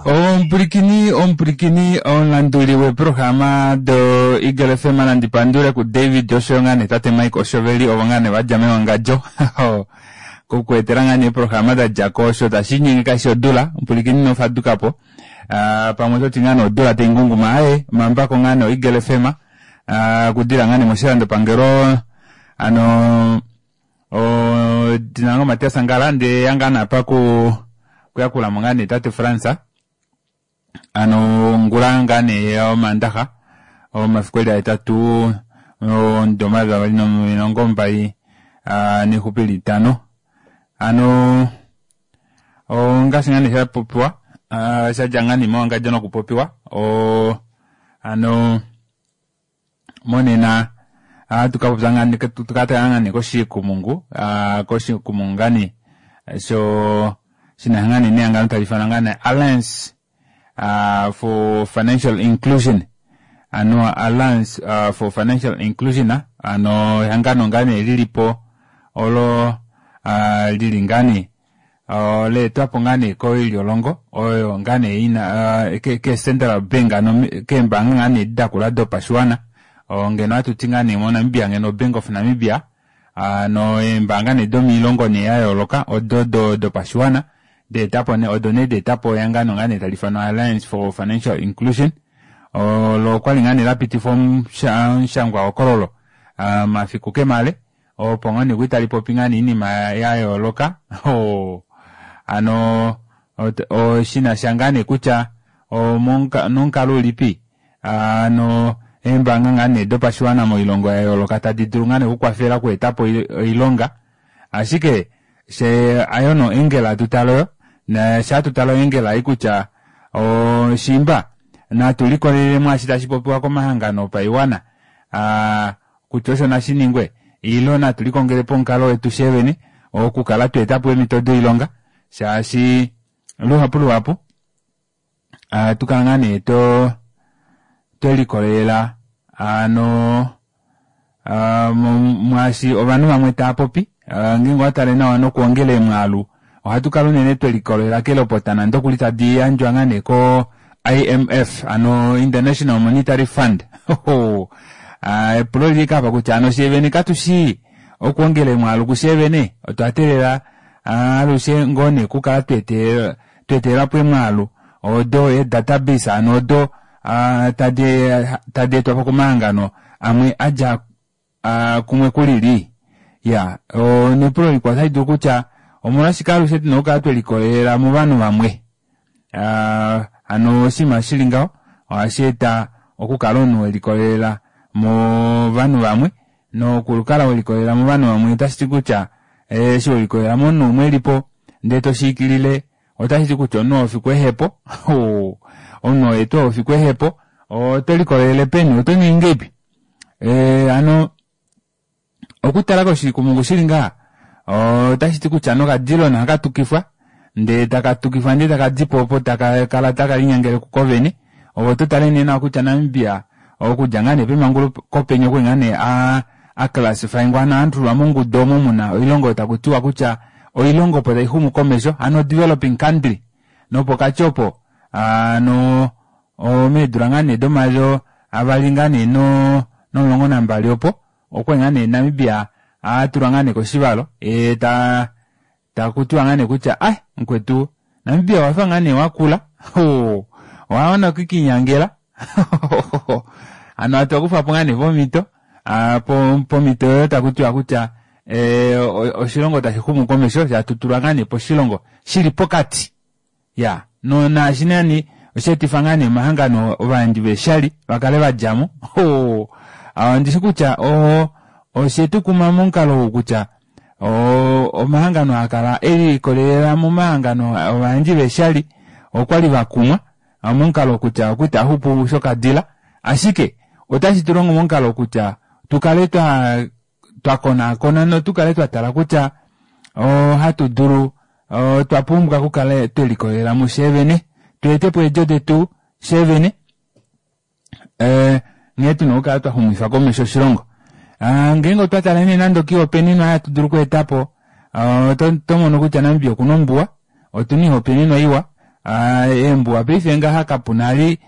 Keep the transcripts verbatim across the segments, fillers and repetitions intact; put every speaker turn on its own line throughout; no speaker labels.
Omupulikini omupulikini omulanduli weeprograma do Eagle F M nandi pandule ku David oshoyo ngaa nee tate Mike Oshoveli ovo ngaa nee vadja mewangadjo kokuetela ngaa nee eeprograma da djako osho tashi nyenge kashi odula omupulikini nofadukapo uh, pamwe ototi ngaa nee odula taingunguma aye omambako ngaa nee Eagle F M uh, kudila ngaa nee moshilandopangelo ano o dinango Matias Angala nde yanga napa ku kuyakula mo ngaa nee tate Fransa ano ngula ngaa nee omandaha omafiku eli ahetatu ondoma vavali nomilongo mbali nexupi litano ano ongaashi ngaa nee shapopiwa shadja ngaa nee mewangadjo nokupopiwa o ano monena tukapopya ngaa nee tukatala ngaa nee koshikumungu koshikumungu ngaa nee sho shina ngaa nee nehangano tali ifanwa ngaa nee Alliance Uh, for Financial Inclusion ano Alliance uh, for Financial Inclusion ano ehangano ngaa nee lilipo olo uh, lili ngaa nee leetwapo ngaa nee koilyolongo oyo ngaa nee ina uh, ke, ke Central Bank ano keembanga ngaa nee dakula dopashiwana ngeno hatuti ngaa nee moNamibia ngeno Bank of Namibia ano eembanga nee domilongo nee ya yooloka odo do dopashiwana deetapo ne odo nee deetapo ehangano ngaa nee tali ifanwa Alliance for Financial Inclusion olo okwali ngaa nee lapitifwa omushangwa hokololo mafiku kemale opo ngaa nee kwali tali popi ngaa nee iinima ya yooloka ano shinasha ngaa nee kutya nomukalo ulipi ano eembanga ngaa nee dopashiwana moilongo ya yooloka tadi dulu ngaa nee okukwafela okuetapo oilonga ashike she ayono engela tutaloyo na sha tutalo engela ai kutya oshimba natu likolelele mwaashi tashi popiwa komahangano opaiwana kutya osho nashi ningwe ilo natu likongelepo omukalo wetu shevene okukala tweetapo eemhito doilonga shaashi luhapu luhapu tukala ngaa nee to twelikolelela ano mwaashi ovanhu vamwe tava popi ngeenge owatale nawa nokuongela emwaalu ohatu kala unene twelikolelela kelopota nande okuli tadi yandjwa ngaa nee ko I M F ano International Monetary Fund epulo lili kapa kutya ano shevene katushi okuongela emwaalu kushevene otwa teelela alushe ngoo nee okukala tweetelelapo emwaalu odo e database ano odo tadi etwapo komahangano amwe adja kumwe kulili ya nepulo likwao otali dulu kutya omolwashike alushe tuna okukala twelikolelela movanhu vamwe ano oshinima shili ngaho ohashi eta okukala omunhu welikolelela movanhu vamwe nokukala welikolelela movanhu vamwe otashi ti kutya eshi welikolelela momunhu umwe elipo ndee toshiikilile otashi ti kutya omunhu ofiku ehepo omunhu oyetu ofiku ehepo oto likolelele peni oto ningi ngeipi ano okutala koshikumungu shili ngaha otashi ti kutya nokadilona hakatukifwa ndee takatukifwa ndee takadipo opo takakala takalinyangele kuko vene ovo totale nee nawa kutya Namibia okudja ngaa nee pemanguluko penya okwali ngaa nee aclassifyingwa ano atulwa mongudu omo muna oilongo takutiwa kutya oilongo opo taixumu komesho ano developing country nopokati opo ano omeedula ngaa nee domayo avali ngaa nee nomulongo nambali opo okwali ngaa nee Namibia atulwa ngaa nee koshivalo e ta takutiwa ngaa nee kutya ai mukwetu Namibia wafa ngaa nee wakula owawana okukinyangela ano atokufapo ngaa nee pomhito pomhito oyo takutiwa kutya oshilongo tashi xumu komesho shatutulwa ngaa nee poshilongo shili pokati ya no naashi nani osheetifa ngaa nee omahangano ovayandji veeshali vakale vadjamo ondishi kutya oshetukuma momukalo ou kutya omahangano haakala elikolelela momahangano ovayandji veeshali okwali vakumwa momukalo kutya okuti axupu shokadila ashike otashi tulongo momukalo kutya tukale twa twakonaakona notukale twatala kutya ohatu dulu otwa pumbwa okukala twelikolelela mushevene tweetepo eedjo detu shevene nghee tuna okukala twaxumifa komesho oshilongo ngeenge otwa tala nee nande okiihopaenenwa hatu dulu okweetapo otomono kutya Namibia okuna ombuwa otuna iihopaenenwa iwa Eembuwa paife ngaha kapuna ali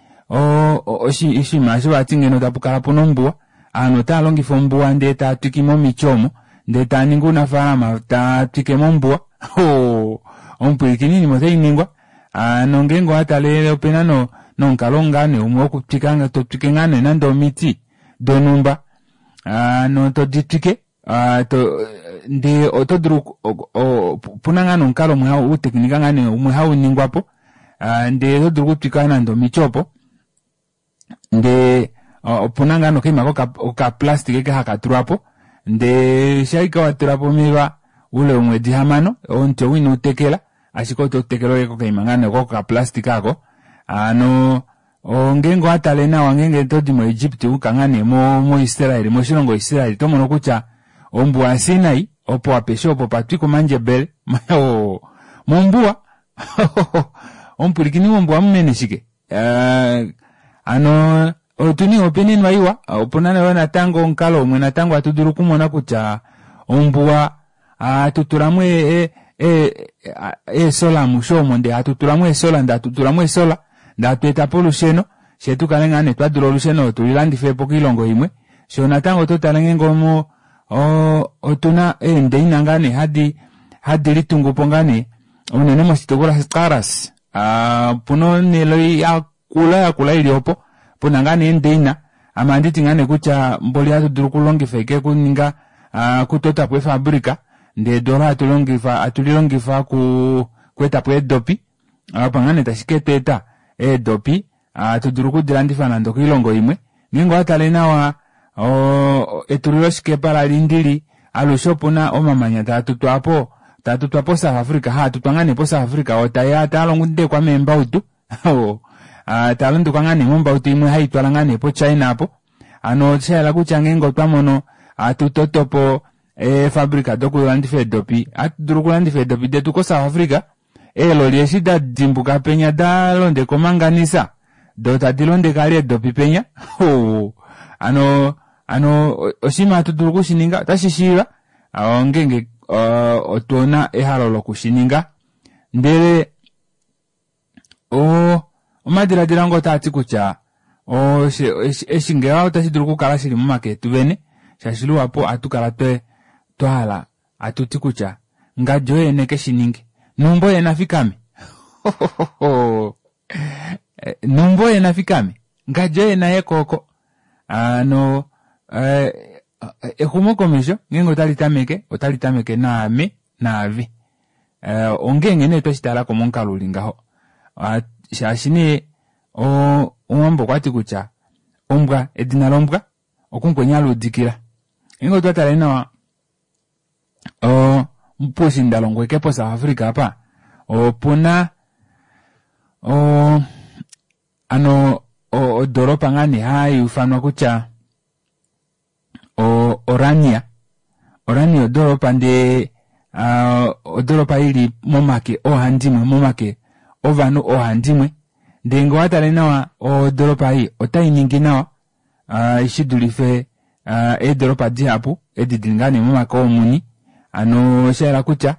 oshinima eshi vati ngeno tapukala puna ombuwa ovanhu otaalongifa ombuwa ndee taatwikimo omiti omo ndee taaningi ounafalama taatwike mombuwa omupwilikini oinima otainingwa hano ngeenge owatale opena nomukalo ngoo nee umwe wokutwika totwike ngoo nee nande omiti donumba hano toditwike ndee otodulu opuna ngoo nee omukalo umwe outekinika ngoo nee umwe hauningwapo ndee otodulu okutwika nande omiti opo ndee opuna ngoo nee okaima koka plastic eke hakatulwapo ndee shaike watulapo omeva oule womwedi hamano omuti ou inoutekela ashike oto tekele ashike kokaima ngoo nee oko koka plastic aako hano ngeenge owatale nawa ngeenge otodi mo egypt wayuka ngoo nee mo israel moshilongo israel otomono kutya ombuwa ya sinai opo apeshe opo opatwikwa omandjebele mombuwa omupwilikini mombuwa amumene shike hano otuna opena oinima iwa opuna yoo natango omukalo umwe natango hatu dulu okumona kutya ombuwa hatutulamo eesola amushe omo ndee hatutulamo eesola ndee hatutulamo eesola ndee hatweetapo olusheno fyee tukale ngoo nee twadula olusheno tulilandifepo koilongo imwe fyee natango ototale ngeenge otuna eendeina ngoo nee hadi hadi litungupo ngoo nee unene moshitukulwa sha karas opuna onele yakula yakula ili opo puna ngoo nee eendeina ame ohanditi ngoo nee kutya mboli ohatudulu okulongifa ashike okuninga okutotapo eefabrica ndee edu oolo hatulilongifa okweetapo eedopi opo ngoo nee tashi ketweeta eedopi hatu dulu okudilandifa nande okoilongo imwe ngeenge owatale nawa oo etuliloshikepa la lindili alushe opuna omamanya taatutwa aapo taatutwa po south africa haatutwa ngoo nee po south africa oo taeya taalondekwa meembautu taalondekwa ngoo nee mombautu imwe haitwala ngoo nee po china aapo hano oshayela kutya ngeenge otwamono hatu totopo eefabrica dokulandifa eedopi ohatudulu okulandifa eedopi detu ko south africa eeloli eshi dadimbuka penya dalondeka omanganisa doo tadi londeke vali eedopi penya hano hano oshinima hatu dulu okushininga ota shishiiva ongenge otuna ehalo lokushininga ndele oo omadilaadilo ange otaati kutya eshi ngaha ota shidulu okukala shili momake etu vene shaashi luhapu ohatukala twahala hatuti kutya ngadi oye nekeshininge numba oye nafikame numba oye nafikame ngadi oye naye kooko hano exumokomesho ngeenge otalitameke otalitameke naame naave ongeenge nee tweshitalako momukalo uli ngaho shaashi nee omuwambo okwati kutya ombwa edina lombwa okumukweni aluudikila ngeenge otwa tale nawa poushiindalongo ashike po south africa aapa opuna hano odoropa ngoo nee hayuufanwa kutya orania Orania odoropa ndee odoropa ili momake oohandimwe momake ovanhu oohandimwe ndee ngee owatale nawa odoropa ei otainingi nawa shidulife eedoropa dihapu edi dili ngoo nee momake oomuni hano oshayela kutya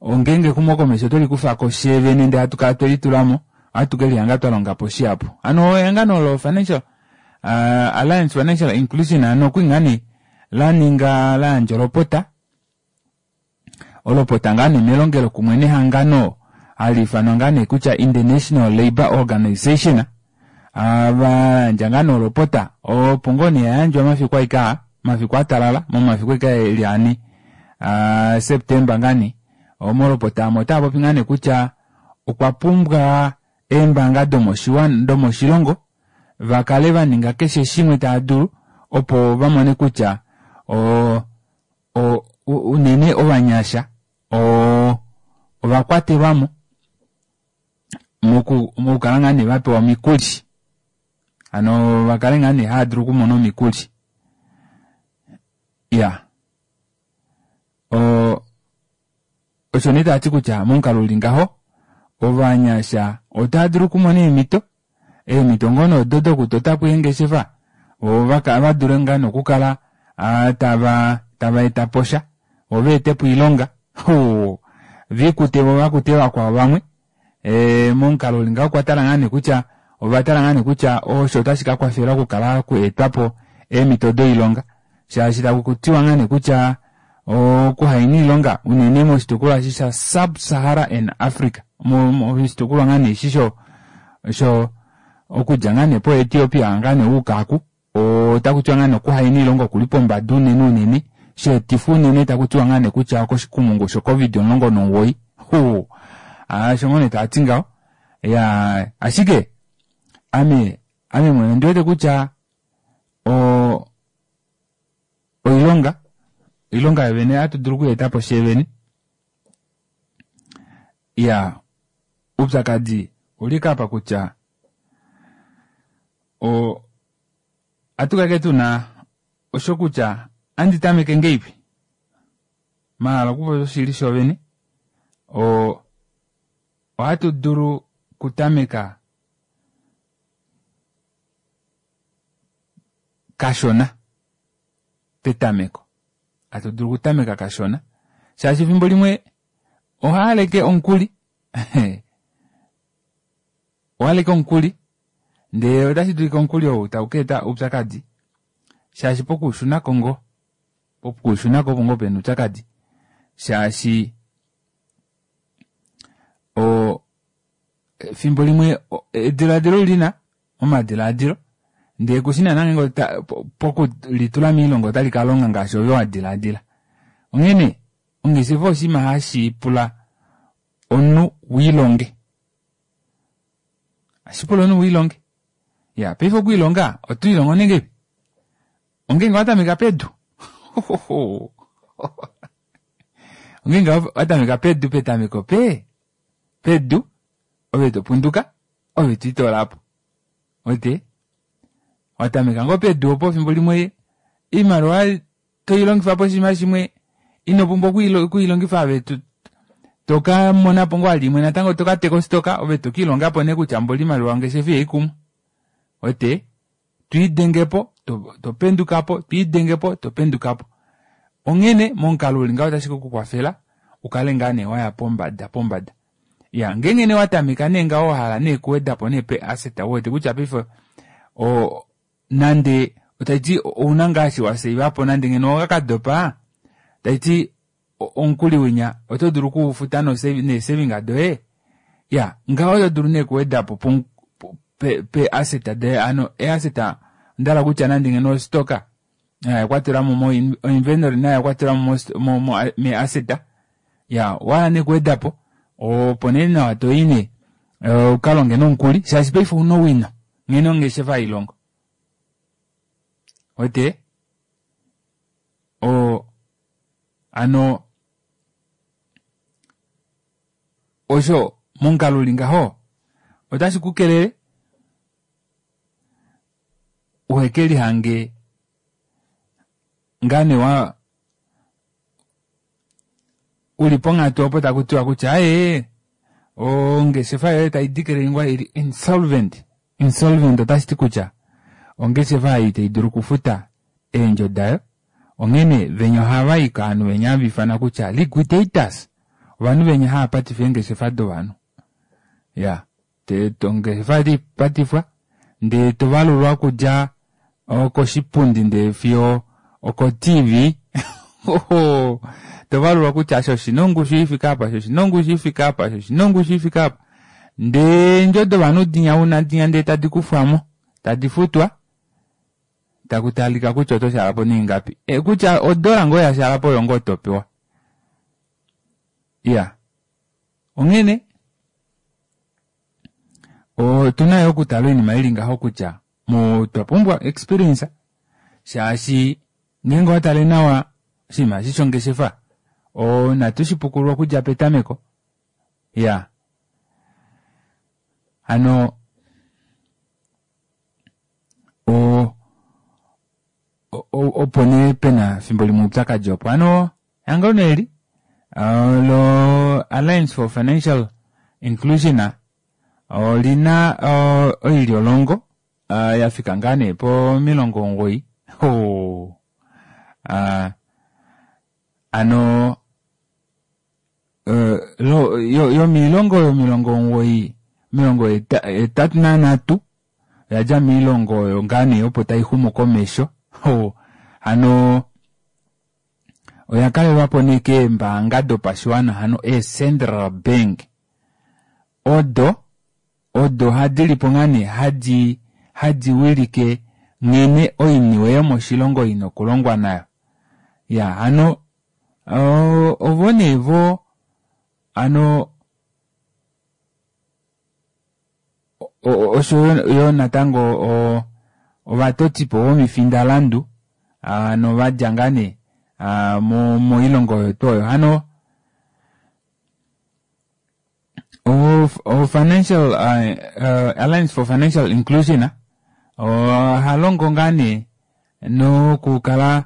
ngeenge exumokomesho otwelikufa fyee ndee hatukala twelitulamo ohatu kelihanga twalongapo shihapu hano ehangano lo financial alliance financial inclusion hano okwali ngoo nee laninga layandja olopota olopota ngoo nee melongelo kumwe nehangano haliifanwa ngoo nee kutya international labour organization vayandja ngoo nee olopota opo ngoo nee yayandjwa mafiku ashike aa mafiku atalala momafiku ashike eli ane september ngoo nee molopota aamo otaapopi ngoo nee kutya okwa pumbwa eembanga domoshilongo vakale vaninga keshe shimwe taadulu opo vamone kutya unene ovanyasha ovakwatelwamo mokukala ngoo nee vapewa omikuli hano vakale ngoo nee haadulu okumona omikuli iyaa osho nee taati kutya momukalo uli ngaho ovanyasha otaadulu okumona eemito eemito ngoo nee odo dokutotapo eengeshefa voo vadule ngoo nee okukala tava tava etaposha voo vaetepo oilonga viikute voo vakute vakwao vamwe Ee momukalo uli ngaho okwatala ngaa nee kutya ovatala ngaa nee kutya osho otashi kakwafela okukala kweetwapo eemito doilonga shaashi takutiwa ngaa nee kutya okuhaina oilonga unene moshitukulwa eshi sha sub Sahara and Africa moshitukulwa ngaa nee eshi sho sho okudja ngaa nee po Ethiopia ngaa nee wuuka oku otakutiwa ngaa nee okuhaina oilonga okuli pombada unene unene sheetifwa unene takutiwa ngaa nee kutya okoshikumungu sho covid omulongo nomugoyi osho ngoo nee taati ngaho iyaa ashike ame ame mwene ondiwete kutya oo oilonga oilonga yovene ohatu dulu okuyeetapo sheevene iyaa oupyakadi ouli apa kutya o ohatu tuna osho kutya andi tameke ngeipi mahala okupopya oshili shoovene o ohatu dulu okutameka kashona petameko hatu dulu okutameka kashona shaashi efimbo limwe ohaaleke omukuli owaleke omukuli ndee otashi dulika omukuli ou taukaeta oupyakadi shaashi pokuushunako ngoo pokuushunako opo ngoo pena oupyakadi shaashi oo efimbo limwe edilaadilo olina momadilaadilo ndee kushi naana ngeenge pokulitula moilonga otali kalonga ngaashi ove wadilaadila onghene ongeshefa oshinima hashi pula omunhu wiilonge ohashi pula omunhu wiilonge iya paife okwiilonga otwiilongo nee ngahelipi ongenge owatameka pedu ongenge owatameka pedu petameko pee pedu ove topunduka ove twiitoolapo uwete watameka ngoo pedu opo efimbo limwe oimaliwa toilongifa poshinima shimwe inopumbwa okwiilongifa ove tokamonapo ngoo vali imwe natango tokateka ostock ove tokiilongapo nee kutya mboli oimaliwa yongeshefa ihaikumwa uwete twiidengepo topendukapo twiidengepo topendukapo onghene momukalo uli ngaho otashi kekukwafela ukale ngaa nee waya pombada pombada iya ngeenge nee owatameka nee ngaho wahala nee okuwedapo nee pe asset uwete kutya paife o nande taiti ouna ngaa eshi waseivapo nande ngeno owakadopa taiti omukuli winya oto dulu okuufuta nee saving doye iya ngaho oto dulu nee okuwedapo pe asset doye hano ee asset ondahala kutya nande ngeno ostock oyakwatelwamo o inventory nayo oyakwatelwamo mee asset iya owahala nee okuwedapo opo nee nawa toyi nee ukalonge nomukuli shaashi paife ouna owino nghene ongeshefa hailongo uwete oo hano osho momukalo uli ngaho otashi kukelele uhekelihange ngaa nee wa uli ponghatu opo takutiwa kutya aaye ongeshefa yoye taideclaringwa ili insolvent insolvent otashiti kutya ongeshefa ei itaidulu okufuta eendjo dayo onghene venya ohavayi kovanhu venya hava ifanwa kutya liquidators ovanhu venya hava patifa eengeshefa dovanhu iya ongeshefa otaipatifwa ndee tovalulwa okudja koshipundi ndee fiyo oko T V tovalulwa kutya eshi oshina ongushu ifike apa eshi oshina ongushu ifike apa eshi oshina ongushu ifike apa ndee eendjo dovanhu dinya una dinya ndee tadi kufwamo tadi futwa takutalika kutya oto shaalapo naingapi kutya odola ngoo yashaalapo oyo ngoo topewa iya onghene otuna yoo okutala oinima ili ngaho kutya otwa pumbwa experience shaashi ngeenge owatale nawa oshinima eshi shongeshefa natu shipukulule okudja petameko iya hano o opo nee pena efimbo limwe oupyakadi opo hano ehangano eli lo Alliance for Financial Inclusion olina oilyolongo yafika ngaa nee pomilongo omugoyi hano Yomoilongo omilongo omugoyi omilongo hetatu nanhatu oyadja moilongo oyo ngaa nee opo taixumu komesho hano oya kalelwapo nee keembaanga dopashiwana hano ee central bank odo odo dilipo ngaa nee hadi hadi wilike nghene oiniwe yomoshilongo ina okulongwa nayo. Iyaa hano ovo nee vo hano oshoyo natango ovatotipo vomifindalandu hano vadja ngaa nee moilongo oyo tuu oyo hano o financial alliance for financial inclusion ohalongo ngaa nee nokukala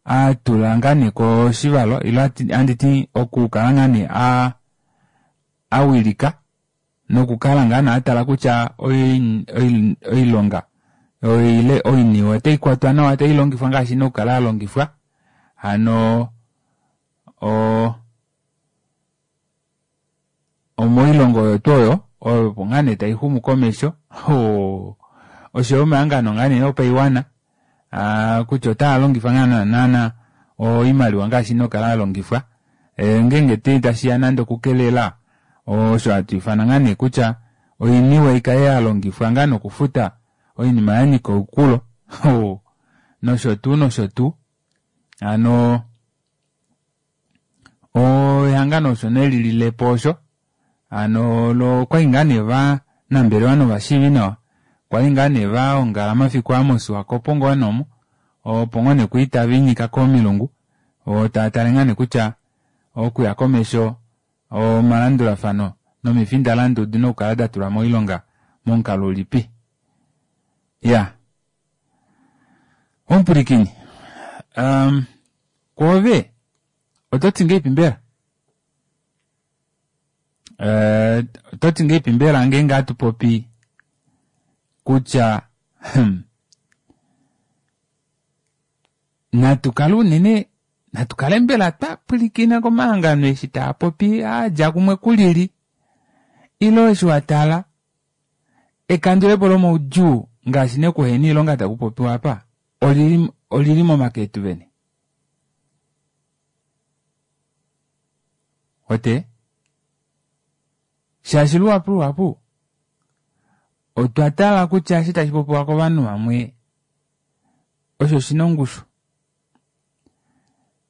atula ngaa nee koshivalo ile handiti okukala ngaa nee awilika nokukala ngaa nee atala kutya oilonga ile oiniwe otaikwatwa nawa otailongifwa ngaashi ina okukala yalongifwa hano o omoilongo oyo tuu oyo opo ngaa nee taixumu komesho oshoyo omahangano ngaa nee opaiwana kutya otaalongifa ngaa naana oimaliwa ngaashi ina okukala yalongifwa ngeenge tashiya nande okukelela osho hatu ifana ngaa nee kutya oiniwe ikale yalongifwa ngaa nokufuta oinima yanyika oukulo nosho tuu nosho tuu hano ehangano osho nee lililepo osho hano okwali ngaa nee ovanambelewa novashiivinawa kwali ngaa nee vaongala mafiku aa moSwakopo ngoo nee omo opo ngoo nee kwali taviinyika komilungu taatale ngaa nee kutya okuya komesho omalandulafano nomifindalandu odina okukala datulwa moilonga momukalo ulipi. Iyaa omupwilikini um, kwoove ototi ngahelipi mbela ototi ngahelipi mbela ngeenge hatupopi kutya natukale unene natukale mbela twapwilikina komahangano eshi taapopi aadja kumwe kulili ile eshi watala ekandulepo lomaudjuu ngaashi nee okuhena oilonga takupopiwa apa olili olili momake etu vene ote shaashi luhapu luhapu otwa tala kutya eshi tashi popiwa kovanhu vamwe osho shina ongushu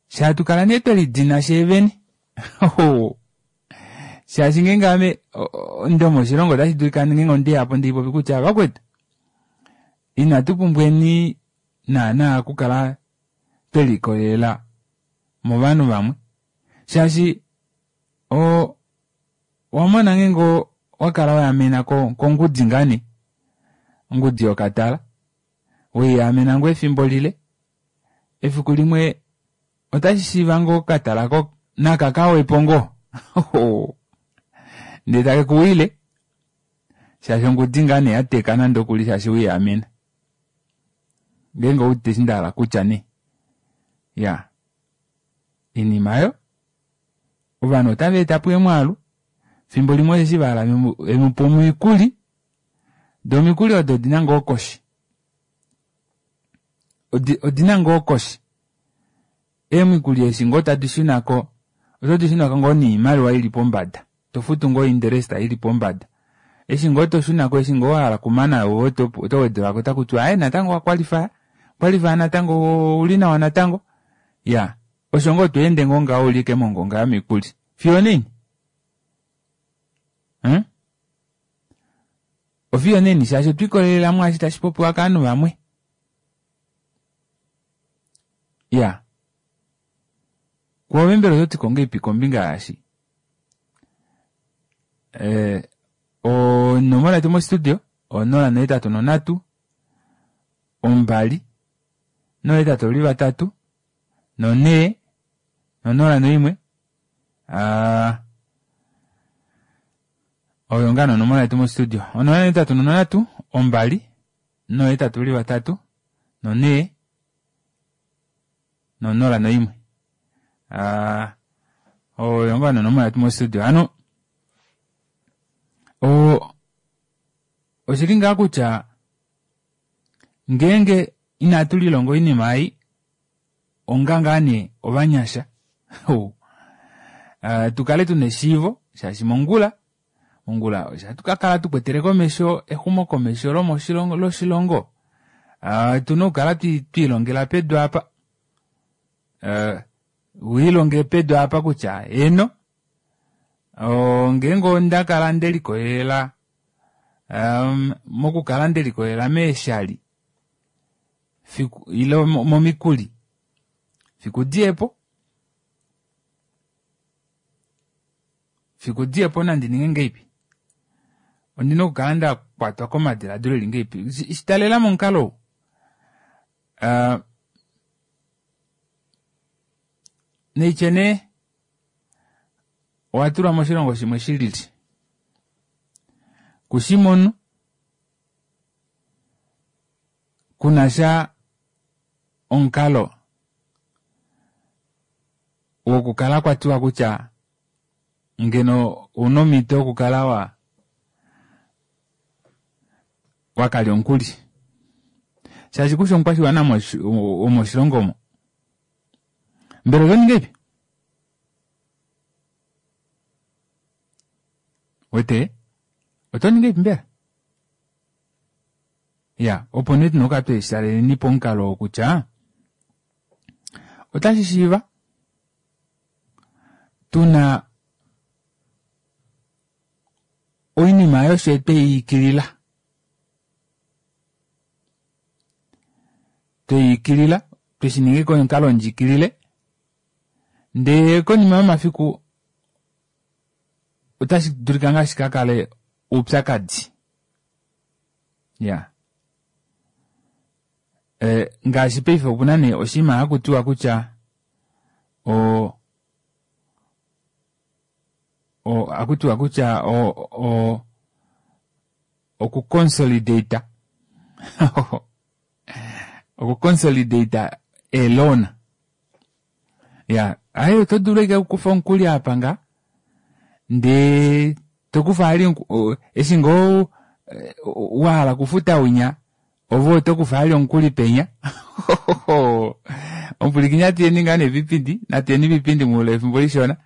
shaatukala nee twelidina sheevene shaashi ngeenge ame ndomoshilongo otashi dulika ngeenge ondeyapo ndeipopi kutya vakwetu inatu pumbweni naana okukala twelikolelela movanhu vamwe shaashi o owamona ngeenge owakala waamena kongudi ngaa nee ongudi yokatala weiyaamena ngoo efimbo lile efiku limwe otashi shiiva ngoo okatala naka kawepo ngoo ndee takekuwile shaashi ongudi ngaa nee yateka nande okuli shaashi weiyaamena ngeenge owuudite eshi ndahala kutya nee iyaa oinima aayo ovanhu otava etapo eemwaalu fimbo limwe osheshi vahala vemupe omikuli doo omikuli odo odina ngoo koshi odina ngoo koshi eemikuli eshi ngoo tadi shunako oto dishunako ngoo noimaliwa ili pombada tofutu ngoo interest ili pombada eshi ngoo toshunako eshi ngoo wahala okumana ove oto wedelwako takutiwa aaye natango owa qualify natango ouli nawa natango iyaa osho ngoo tweende ngoo ngaho uli ashike mongonga yomikuli fiyo onaini hmm? Ofiyo onaini shaashi otwiikolelela mwaashi tashi popiwa kaanhu vamwe iya kwoove mbela ototi ko ngahelipi kombinga yaashi eh, onomola yetu mostudio onola nohetatu nonhatu ombali nohetatu oli vatatu nonhee nonola noimwe aa oyo ngaa nonomola yetu mostudio onola nohetatu nonhatu ombali nohetatu uli vatatu nonhee nonola noimwe aa Oyo ngoo nonomola yetu mostudio. Hano o oshili ngaa kutya ngeenge inatu lilonga oinima ei onga ngaa nee ovanyasha uh, tukale tuna eshiivo shaashi mongula mongula ohatu kakala tukwetele komesho exumokomesho lomoshilongo loshilongo. Uh, tuna okukala twiilongela pedu apa uh, wiilonge pedu apa kutya eno ngeenge onda kala ndelikolelela um, mokukala ndelikolelela meeshali fiku ile momikuli fiku diyepo fiku diyepo nandi ninge ngeipi ondina okukala nda kwatwa komadiladilo eli ngeipi shitalela momukalo ou uh, neitye nee owa tulwa moshilongo shimwe shilili kushimonu kunasha omukalo wokukala kwatiwa kutya ngeno ouna omhito yokukala wa wakalya omukuli shaashi kushi omukwashiwana womoshilongo omo mbela oto ningi ipi wete oto ningi ipi mbela ya opo nee tuna okukala tweshitaleleni pomukalo oo kutya otashi shiiva tuna oinima yoshe tweyiikilila tweyiikilila tweshininga komukalo ndjikilile ndee konima yomafiku otashi dulika ngaa shikakale oupyakadi ya e, ngaashi paife opuna nee oshinima hakutiwa kutya o o hakutiwa kutya o o okuconsolidata okuconsolidata eloan ya aye oto dulu ashike okukufa omukuli apa nga ndee tokufa ali eshi ngoo wahala okufuta winya ove oto kufa ali omukuli penya omupwilikini natuyeni ngaa nee vipindi natuyeni vipindi muule wefimbo lishona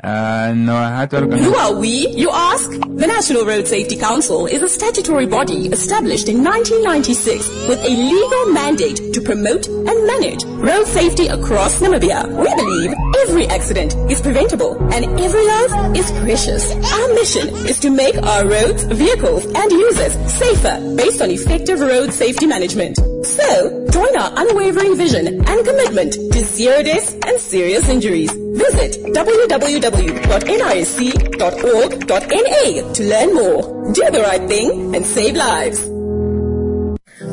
Uh, no,
Who are we, you ask? The National Road Safety Council is a statutory body established in nineteen ninety-six with a legal mandate to promote and manage road safety across Namibia. We believe every accident is preventable and every life is precious. Our mission is to make our roads, vehicles and users safer based on effective road safety management. So, join our unwavering vision and commitment to zero deaths and serious injuries. Visit w w w dot n i c dot org dot n a to learn more. Do the right thing and save lives.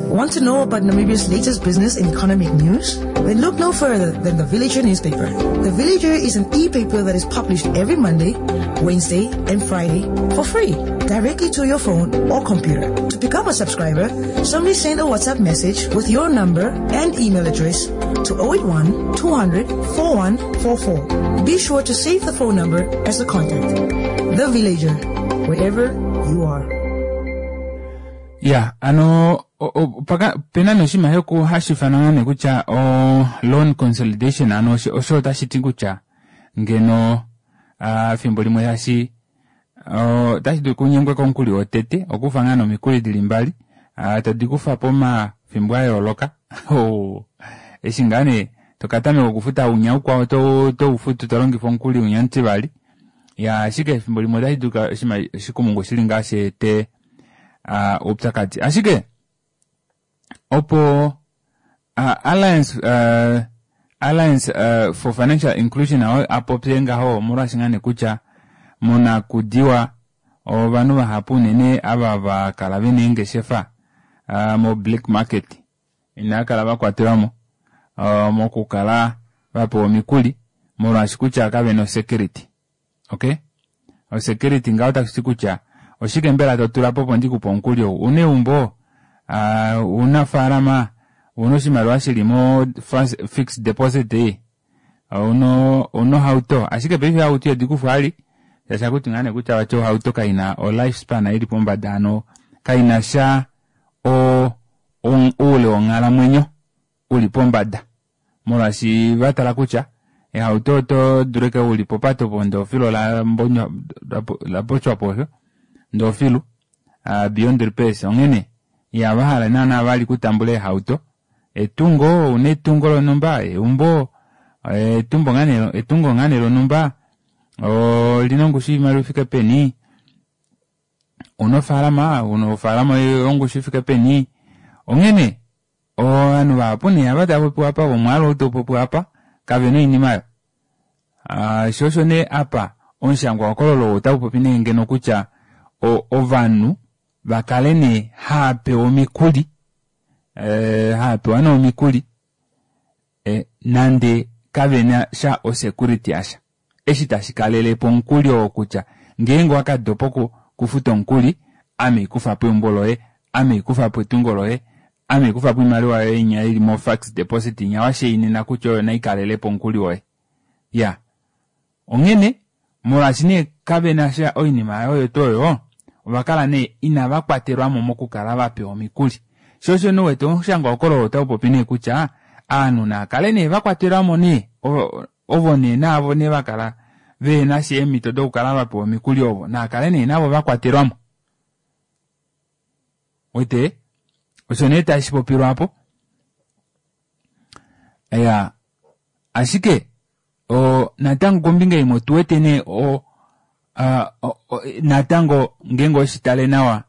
Want to know about Namibia's latest business and economic news? Then look no further than The Villager newspaper. The Villager is an e-paper that is published every Monday, Wednesday, and Friday for free, directly to your phone or computer. To become a subscriber, simply send a WhatsApp message with your number and email address to oh eight one, two hundred, four one four four. Be sure to save the phone number as a contact. The Villager, wherever you are.
Ya, ano pena noshinima shoku hashi ifanwa nee kutya o loan consolidation, ano osho otashi ti kutya ngeno fimbo limwe hashi otashi dulu kunyengwe komukuli wotete okufa ngaa nomikuli dili mbali todi kufa pomafimbo a yooloka eshi ngaa nee tokatameka okufuta unya ukwao toufutu tolongifa omukuli unya mutivali ya, ashike efimbo limwe otashi dulu oshikumungu shili ngaa sheete oupyakadi. Ashike opo uh, Alliance uh, Alliance uh, for Financial Inclusion apopye ngaho omolwaashi ngaa nee kutya monakudiwa ovanhu vahapu unene ava vakala vena eengeshefa uh, mo black market inaa kala vakwatelwamo uh, mokukala vapewa omikuli molwaashi kutya kavena osecurity. Okay, osecurity ngaho tashi ti kutya oshike mbela totula po opo ndikupe omukuli ou una eumbo uh, una ofaalama una oshimaliwa shili mo fixed deposit ei Ouna ouna ohauto, ashike paife eehauto ihadi kufwa vali shaashi ohakuti ngaa nee kutya vati ohauto kaina o life span ili pombada, hano kaina sha o oule wonghalamwenyo uli pombada, molwaashi vatala kutya eehauto oto dulu ashike uli popate opo ndee efilu ola mbonywa lapotywapo osho ndee ofilu beyond repairs. Onghene ihavahala naana vali okutambula eehauto. Etungo, ouna etungo lonhumba, eumbo, etungo ngaa nee lonhumba olina ongushu yoimaliwa ifike peni, ouna ofaalama, ofaalama oyongushu ifike peni. Onghene ovanhu vahapu nee ava tavapopiwa aapa vomwaalu ou taupopiwa aapa kavena oinima aayo. Shoo osho nee apa omushangwa hokololo otaupopi nee ngeno kutya ovanhu vakale nee haapewa omikuli, haapewa nee omikuli nande kavenasha o security yasha eshi tashi kalelepo omukuli oo kutya ngeenge owakadopa okufuta omukuli ame haikufapo eumbo loye, ame haikufapo etungo loye, ame haikufapo oimaliwa yoye inya ili mo fixed deposit inya washainina kutya oyo naikalelepo omukuli woye. Iyaa, onghene molwaashi nee kavenasha oinima oyo tuu oyo, ovakala nee inava kwatelwamo mokukala vapewa omikuli. Shoo osho nee uwete omushangwa hokololo otaupopi nee kutya ovanhu naakale nee vakwatelwamo nee ovo nee naavo nee vakala vehenasha eemito dokukala vapewa omikuli ovo naakale nee navo vakwatelwamo. Uwete osho nee tashipopilwa aapo. Iyaa, ashike natango kombinga imwe otuwete nee o natango ngeenge oweshitale nawa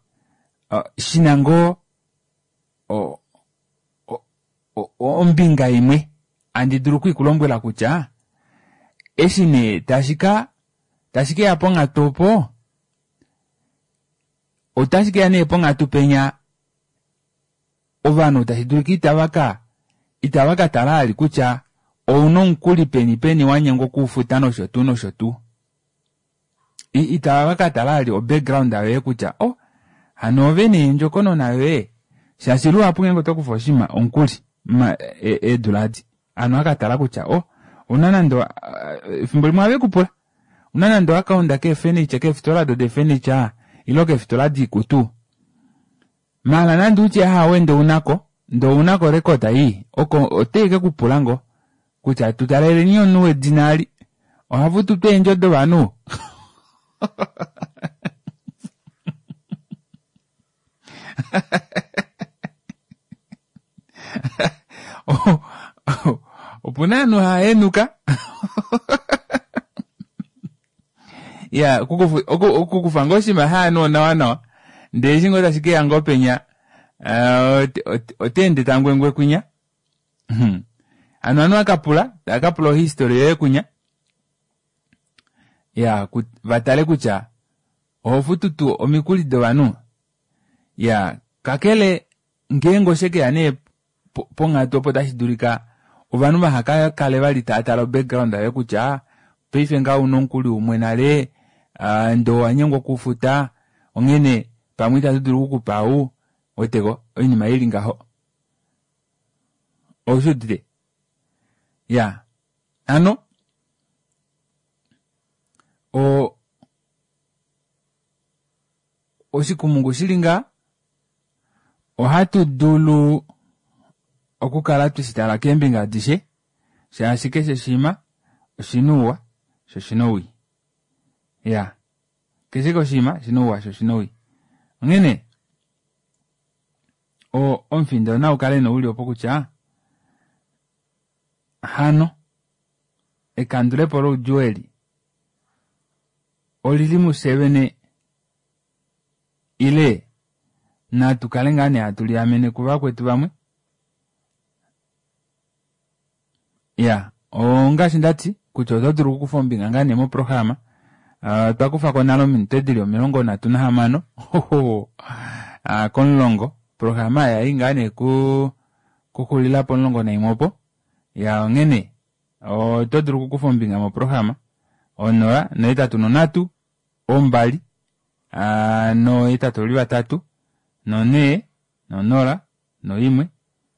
shina ngoo ombinga imwe handi dulu okuikulombwela kutya eshi nee tashika tashikeya ponghatu opo, otashikeya nee ponghatu penya ovanhu tashi dulika itava ka itava katala vali kutya ouna omukuli peni peni wanyengwa okuufuta nosho tuu nosho tuu. Itava katala vali o background yoye kutya oh hano ove nee ondjokonona yoye, shaashi luhapu ngeenge otokufa oshinima omukuli eedula edi ovanhu ohava katala kutya oh ouna nande efimbo limwe ohavekupula ouna nande o account kee furniture keefitola odo dee furniture ile keefitola doikutu, maala nande utye aawe ndee ounako ndee ounako orecord ii oko otaikekupula ngoo kutya tutaleleni omunhu wedina eli ohafutu tuu eendjo dovanhu. Opuna ovanhu haahenuka iyaa okukufa ngoo oshinima shovanhu onawa nawa ndee eshi ngoo tashikeya ngoo penya oteende tangwengwe kwinya. Hano ovanhu ohavakapula taakapula o history yoye kwinya, iyaa vatale kutya ohofutu tuu omikuli dovanhu. Iyaa, kakele ngeenge oshekeya nee ponghatu opo tashi dulika ovanhu vaha kakale vali taatale o background yoye kutya paife ngaha ouna omukuli umwe nale ndee owanyengwa okuufuta onghene pamwe ita tudulu okukupa ou, ouweteko oinima ili ngaho. Oushuudite? Iyaa, hano o oshikumungu shili ngaha ohatu dulu okukala tweshitala keembinga adishe shaashi keshe oshinima oshina ouwa sho oshina owii. Iyaa, keshe oshinima oshina ouwa sho oshina owii. Onghene omufindo naukale nee uli opo kutya hano ekandulepo loudjuu eli olili mufye vene ile natu kale ngaa nee hatu liamene kuvakwetu vamwe. Iyaa, ongaashi ndati kutya oto dulu okukufa ombinga ngaa nee moprograma. Otwa kufako nale ominute dili omilongo nhatu nahamano komulongo. Oprograma yayi ngaa nee kuxulila pomulongo naimwe opo. Iyaa, onghene oto dulu okukufa ombinga moprograma onola nohetatu nonhatu ombali nohetatu vali vatatu nonhee nonola noimwe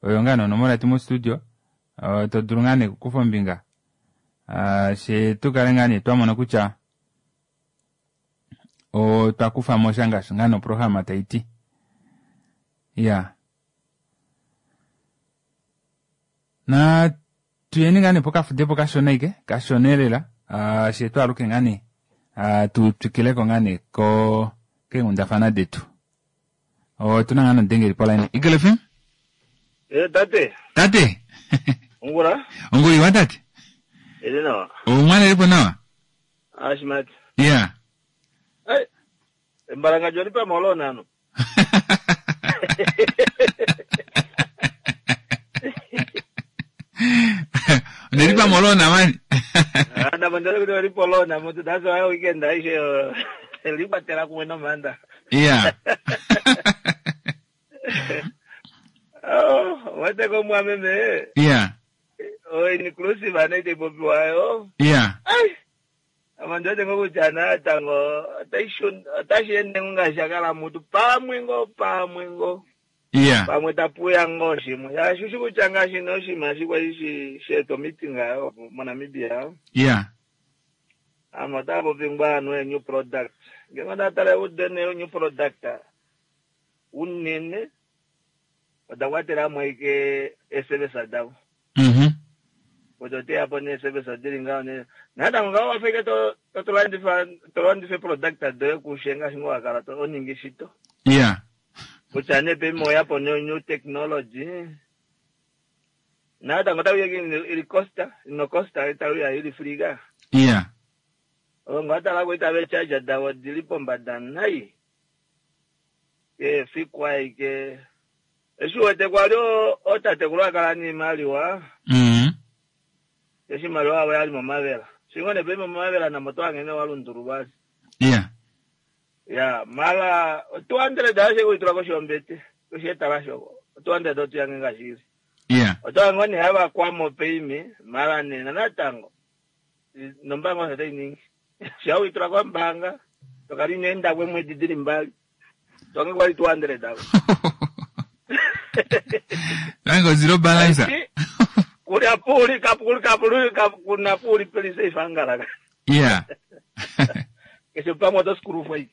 oyo ngaa nee onomola yetu mo studio todulu ngaa nee okukufa ombinga. Uh, she tukale ngaa nee twamona kutya otwa kufamo sha ngaashi ngaa noprograma taiti. Ya na tuyeni ngaa nee pokafudepo kashona ike kashona elela uh, she twaaluke ngaa nee uh, tu twikileko ngaa nee ko keenghundafana detu. Otuna ngaa nomudengeli poline. Eagle F M?
Eh, tate.
Tate.
Ongula?
Ongula iwa tate.
Ele nawa.
Omwana lipo nawa?
Ashimati.
Yeah.
Hey. Embalanga joni pa molona ano.
Nelipa molona mani.
Anda mandele kuti walipo lona mutu that's why weekend aishe lipa tela kumwe manda.
Yeah.
Oh, wate ko mwameme.
Yeah.
Oh, inclusive anaite popiwayo.
Yeah.
Ai. Amandote ngokuchana tango ataishun atashende ngashakala mutu pamwe ngo pamwe ngo.
Yeah.
Pamwe tapuya ngo shimwe. Yashushu kuchanga shino shima shikwa ishi sheto meeting ayo mo Namibia.
Yeah.
Amata pingwa no new product. Ngenga natale udene new product. Unene odakwatela mweke S M S adawo.
Mhm.
Odote apo ne service adiringa ne nada nga wafike to to landifa to landifa product ado kushenga shingo akala to oningi shito.
Yeah.
Kuchane pe moya po new technology. Nada nga tawiya ili costa no costa tawiya ili friga.
Yeah.
Onga tala kuita be charge dawo dilipo mbadanai. Ke fikwa ike eshuwete kwalio otate kulwakala ni maliwa.
Mhm.
Eshimaliwa awo yali momavela. Shingone pe momavela na moto angene walunduru basi.
Yeah.
Yeah, mala two hundred ashe kuitula koshombete. Kusheta shoko. two hundred otu yange ngashiri.
Yeah.
Oto angone haba kwamo peimi mala ne natango. Nombango sate ningi. Shawitula kwa mbanga. Tokali nenda kwe mwedi dili mbali. Tonge kwali two hundred awo.
Tango zero balance.
Kuri apuri kapuri kapuri kuna puri pelise ifangala.
Yeah.
Kesho pamwe to skuru foi.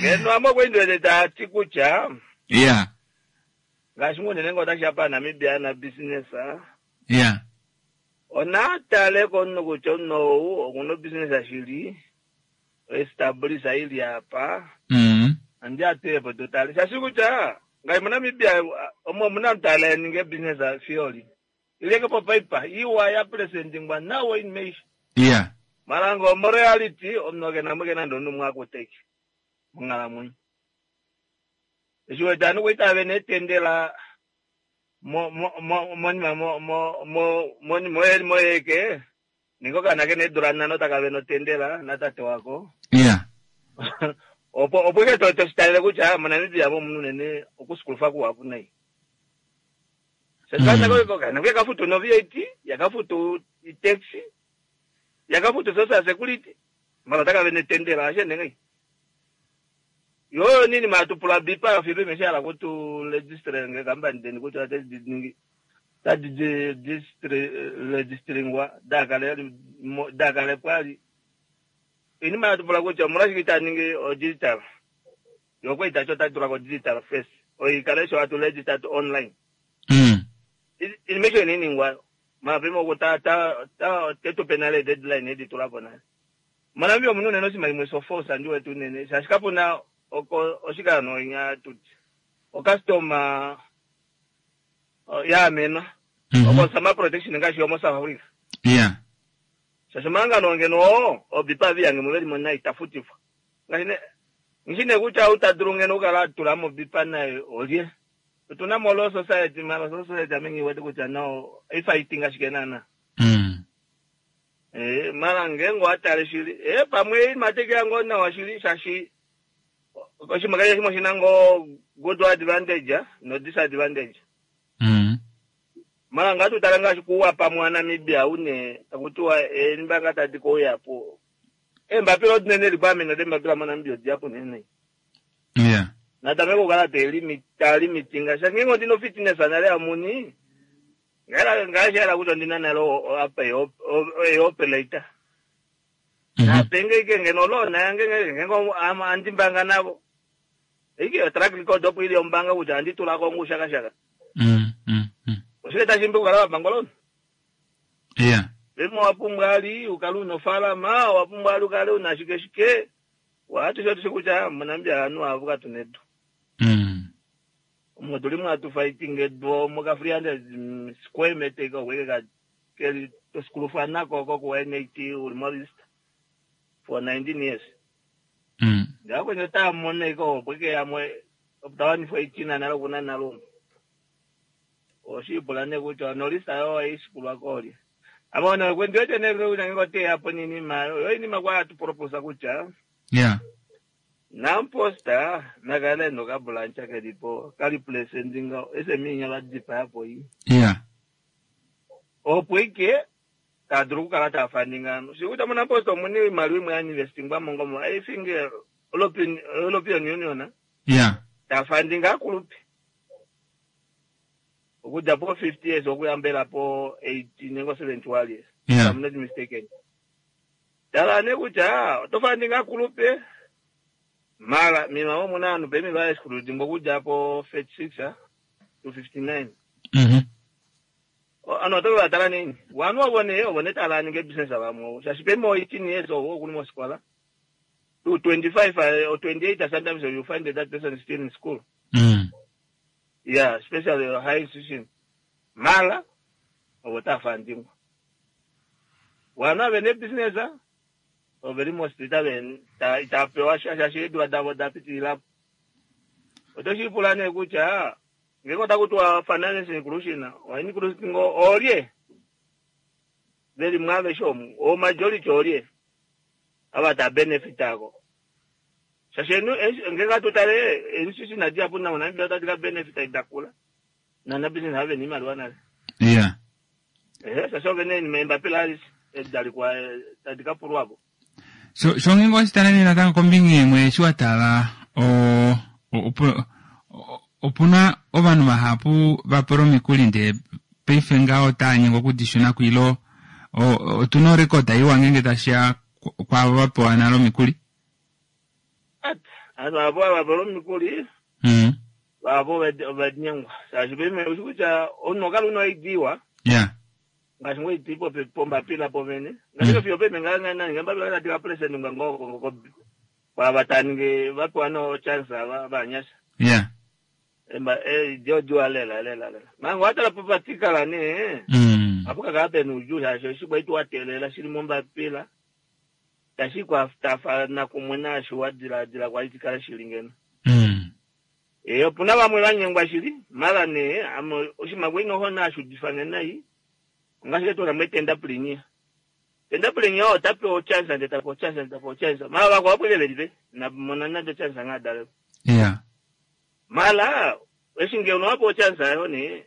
Ngeno amo kwendele ta tikucha.
Yeah.
Ngashimune nengo tashapa Namibia na business.
Yeah.
Ona tale kono kuchono okuno business ashili. Establish ili apa.
Mhm.
Andi atepo totale. Shashikucha. Ngai Namibia omo muna mtala ninge business fioli. Ileke po paper iwa ya presenting wa nawo in May.
Yeah.
Marango mo reality omnoke na muke na ndono mwako take. Mungala munyi. Eshuwe tanu kuita bene tendela mo mo mo mo mo mo mo mo mo mo eke. Ningo kana ke ne durana no takabe no tendela na tate wako.
Yeah.
Opo opo ke to to style kucha Namibia bo munene okusukulufa ku apu nai. Sasa ko ko kana ke kafutu no V A T, yakafutu taxi, yakafutu social security. Mara taka bene tendela ashe nengai. Yo nini matupula bipa fibe meshala kutu register nge company den kutu ate ningi. Ta registering dakale dakale kwali. Ini matupula kucha murashikita ningi o digital. Yoko itacho tatura ko digital first. O ikalesho atu register to online.
Mm.
Ini mesho nini ngwa. Mapimo ko ta ta ta teto penale deadline edi tulapo na. Manambio munune no sima imwe sofosa ndiwe tunene. Shashikapo na oko oshika no nya tuti. O customer ya mena.
Mm -hmm.
Oko sama protection ngashi omo South Africa.
Yeah.
Shashimanga no ngeno obipa vyange muveli mona itafutifwa. Ngashine ngishine kucha utadurunge no kala tulamo bipa nayo olye. Tuna molo society mala society amengi wete kucha no ifighting ashikenana.
Mm.
Eh mala ngengo atale shili. Eh pamwe mateke yango na washili shashi. Oshimakaye shimo shinango good advantage no disadvantage.
Mm.
Mala ngatu talanga shikuwa pamwe Namibia une takutua eh mbanga tadiko yapo. Eh mbapilo nene requirement de mbapila mwana Namibia diapo nene.
Yeah.
Natameko kala te limit limitinga shangengo ndino fitness anale amuni. Ngela ngaashi ela kutya ondina nale apa eoperator. Napenge ike ngeno loan yange ngenge andimbanga navo. Ike track record opo ili ombanga kutya anditulako ngushakashaka.
Mm, mm, mm.
Oshike tashi mbi kukala wapanga loan?
Yeah.
Pemwe wapumbwa ali ukale una ofaalama, wapumbwa ali ukale una shike shike. Watushe tushe kutya moNamibia ovanhu avo katuna edu.
Mm.
Omo tuli mwatu fighting edu omo ka three hundred square meter iko kweke ka keli tosikulufa nako ko ku N A T uli mo list for nineteen years.
Mm.
Ngakwenye tamona iko kweke yamwe tawani for eighteen nalo kuna nalo. Oshipula ne kutya no list ayo aisikulwa koli. Abona kwendete ne kutya ngote hapo nini ma yo inima kwa tu propose kutya.
Yeah.
Namposta nakale no ka branch kelipo kali place ndinga ese minya la dipa hapo yi.
Yeah.
Opo ike tadru kala ta fundinga. Sikuta mona posta muni mali imwe ya investing ba mongo mo. I think European European Union.
Yeah.
Ta fundinga kulupi. Okuja po fifty years okuyambela po eighteen ngo seventy-one years.
Yeah.
I'm not mistaken. Tala ne kutya to fundinga kulupi. Mara mima wo muna anu pemi va exclude ngokuja po thirty-six to fifty-nine.
Mhm.
Ano to va tala nini? Wanu wabone obone tala ninge business abamwe. Shashi pemi eighteen years owo kuli mo skola. To twenty-five or twenty-eight sometimes you find that, that person is still in school.
Mm.
Yeah, especially high institution. Mara obota funding. Wanu abene business ah. Overi most itabe ta itapewa shasha shedu adabo dapitila. Otoshipula ne kutya ngeko takutwa finance inclusion wa inclusion ngo olye veli mwabe shomu o majority olye abata benefit ako. Shasha enu ngeka tutale institution adia puna una mbia tatika benefit idakula. Na na business have ni mali wana.
Yeah.
Eh shasha vene ni memba pillars edalikuwa tatika purwabo.
So so ngingo sitanani natanga kombinga imwe shiwatala o opo opuna ovanhu vahapu vapolo mikuli nde paife ngaho tanyengwa okudishuna kuilo otuna record iwa ngenge tashiya kwavo vapewa nalo mikuli.
Ati avo vapolo mikuli
mm
vavo vanyengwa shashi peme kutya omunhu okala una idiwa.
Yeah.
Ngaashi ngo itipo pombapila povene ngaashi fiyo peme ngangana ngambapila katika president ngangoko ngoko kwa bataninge vapewa no chance ava vanyasha.
Yeah.
Emba eh dio dio lela lela lela. Mango atala popatikala ne.
Mm.
Apo kakape nuju shasho shikwa itu watelela shili mombapila. Tashikwa tafa na kumwena shuwa dila dila kwa itikala shilingeno.
Mm.
Eh opuna vamwe vanyengwa shili mara ne amo oshimagwe no hona shudifane nayi. Ngashike tona mwetenda plinia. Tenda plinia o tape o chance ande tape o chance ande tape o chance. Mara wako hapo ile belibe na mona na chance ngadale.
Yeah.
Mala eshinge uno hapo chance ayo ni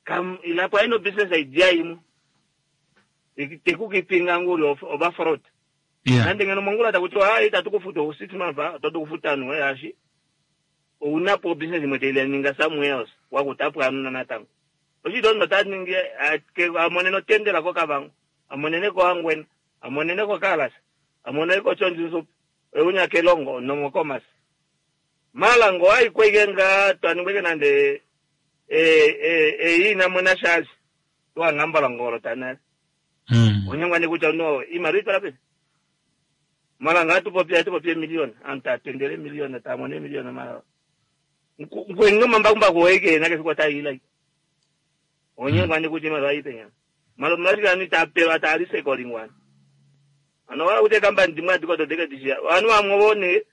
kam ilapo ino business idea imu. Ikitekuki nguri oba fraud.
Yeah.
Nande ngeno mongula takutoa ah itatukufuta six months tatukufuta no yashi. Unapo business imwe ninga somewhere else wakutapwa anuna natango. Oshito taningi amonene tendela ko kabango amonene ko angwena amonene ko kalas amonene ko chonjinso eunya kelongo no mokomas malango ai kwegenga twaningweke nande e e e ina mona shazi twa ngambala ngoro tanale.
Mm.
Onyangwa ne kutya no imali itwala pe malanga atupopia atupopia million anta tendele million ta mone million mala ngwenga mamba kumba koeke na ke kwata ila onyangwa ne kuti mali aipenya malo mali ani tapewa tarise kolingwana ano wala kuti kamba ndimwa ndiko todeke dishia anu amwone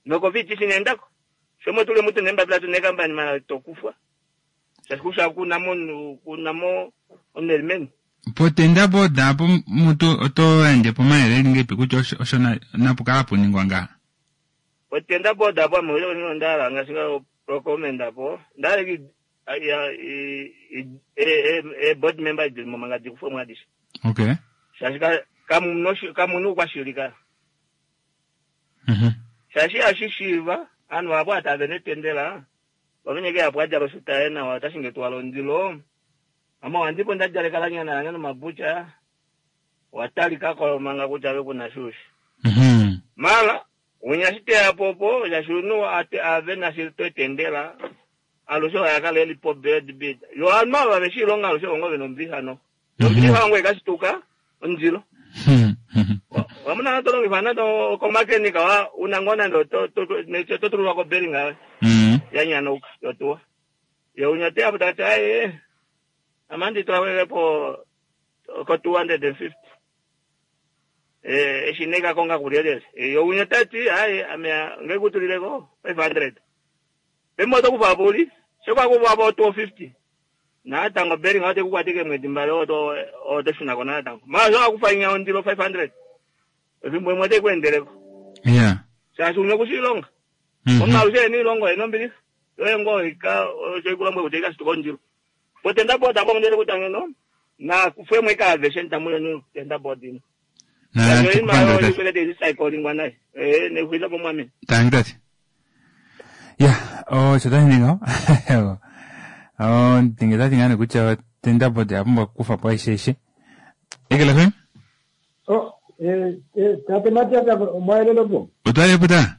noko viti sinendako shomo tule mutu nemba bila tune kamba ni mala tokufa shakusha kuna mo kuna mo onelmen
Potenda boda po mutu oto ende po maele ngepi kutya osho napukala puningwa nga.
Potenda boda po mo yo ndala ngasinga recommenda po ndala ki ya e e e board member di mo manga di kufo mwadisha.
Okay.
Shashika kamu kamu kwa shirika.
Mhm.
Shashi ashishiva anu abo atabene tendela. Bamenyeke apo aja basuta ena watashinge twalo ndilo. Ame ohandipo ndadjaleka lanyana lange nomabucha watalikako manga kutya ave kuna shushi.
Mhm.
Mala unya shiteyapo opo shaashi omunhu ate ave nashi twetendela alushe oyakala elipo bed bid yo ovanhu ava veshilonga alushe vongo vena ombilixa no nombilixa wangu ekashituka ondilo.
Mhm. Mhm.
Wamuna tolongifa nande komakenika wa una ngoo nande oto- to- to- totululwa koberinga
Mhm.
yanyanauka yotuwa ye unya teyapo tati aye amandi twawelepo ko two hundred and fifty eh eshi nekakonga kulyelele yo unya tati aye ame ngekutulileko five hundred pemoto kufa puli shekwakuvapo two fifty natango beringa ote kukwatike mwedi mbali oto otoshunako natango mara shokakufa inya ondilo five hundred efimbo imwe ote
Yeah.
shaashi unya kushilonga
Mhm.
omunhu alushe ena iilonga ena ombilixa yoye ngoo ika shoikulomwe kutya ikashituka ondilo potenda board apo ndele kutya ngeno nakufwemwe ikaaveshe ntamuyoni tenda board ino
Na
Yo ima
tukupanda
yo
tati.
ikwelete izicyclingwa naye eh nekuisa po mwami
Tangi tati. Ya, osho tashi ningi ngaho. Oh, ndinge tati ngane kutya tenda board oya pumbwa okukufa po aishe aishe. Ekela F M?
Oh, eh, eh, tate Matias omwayelelo po
Otwalepo ta?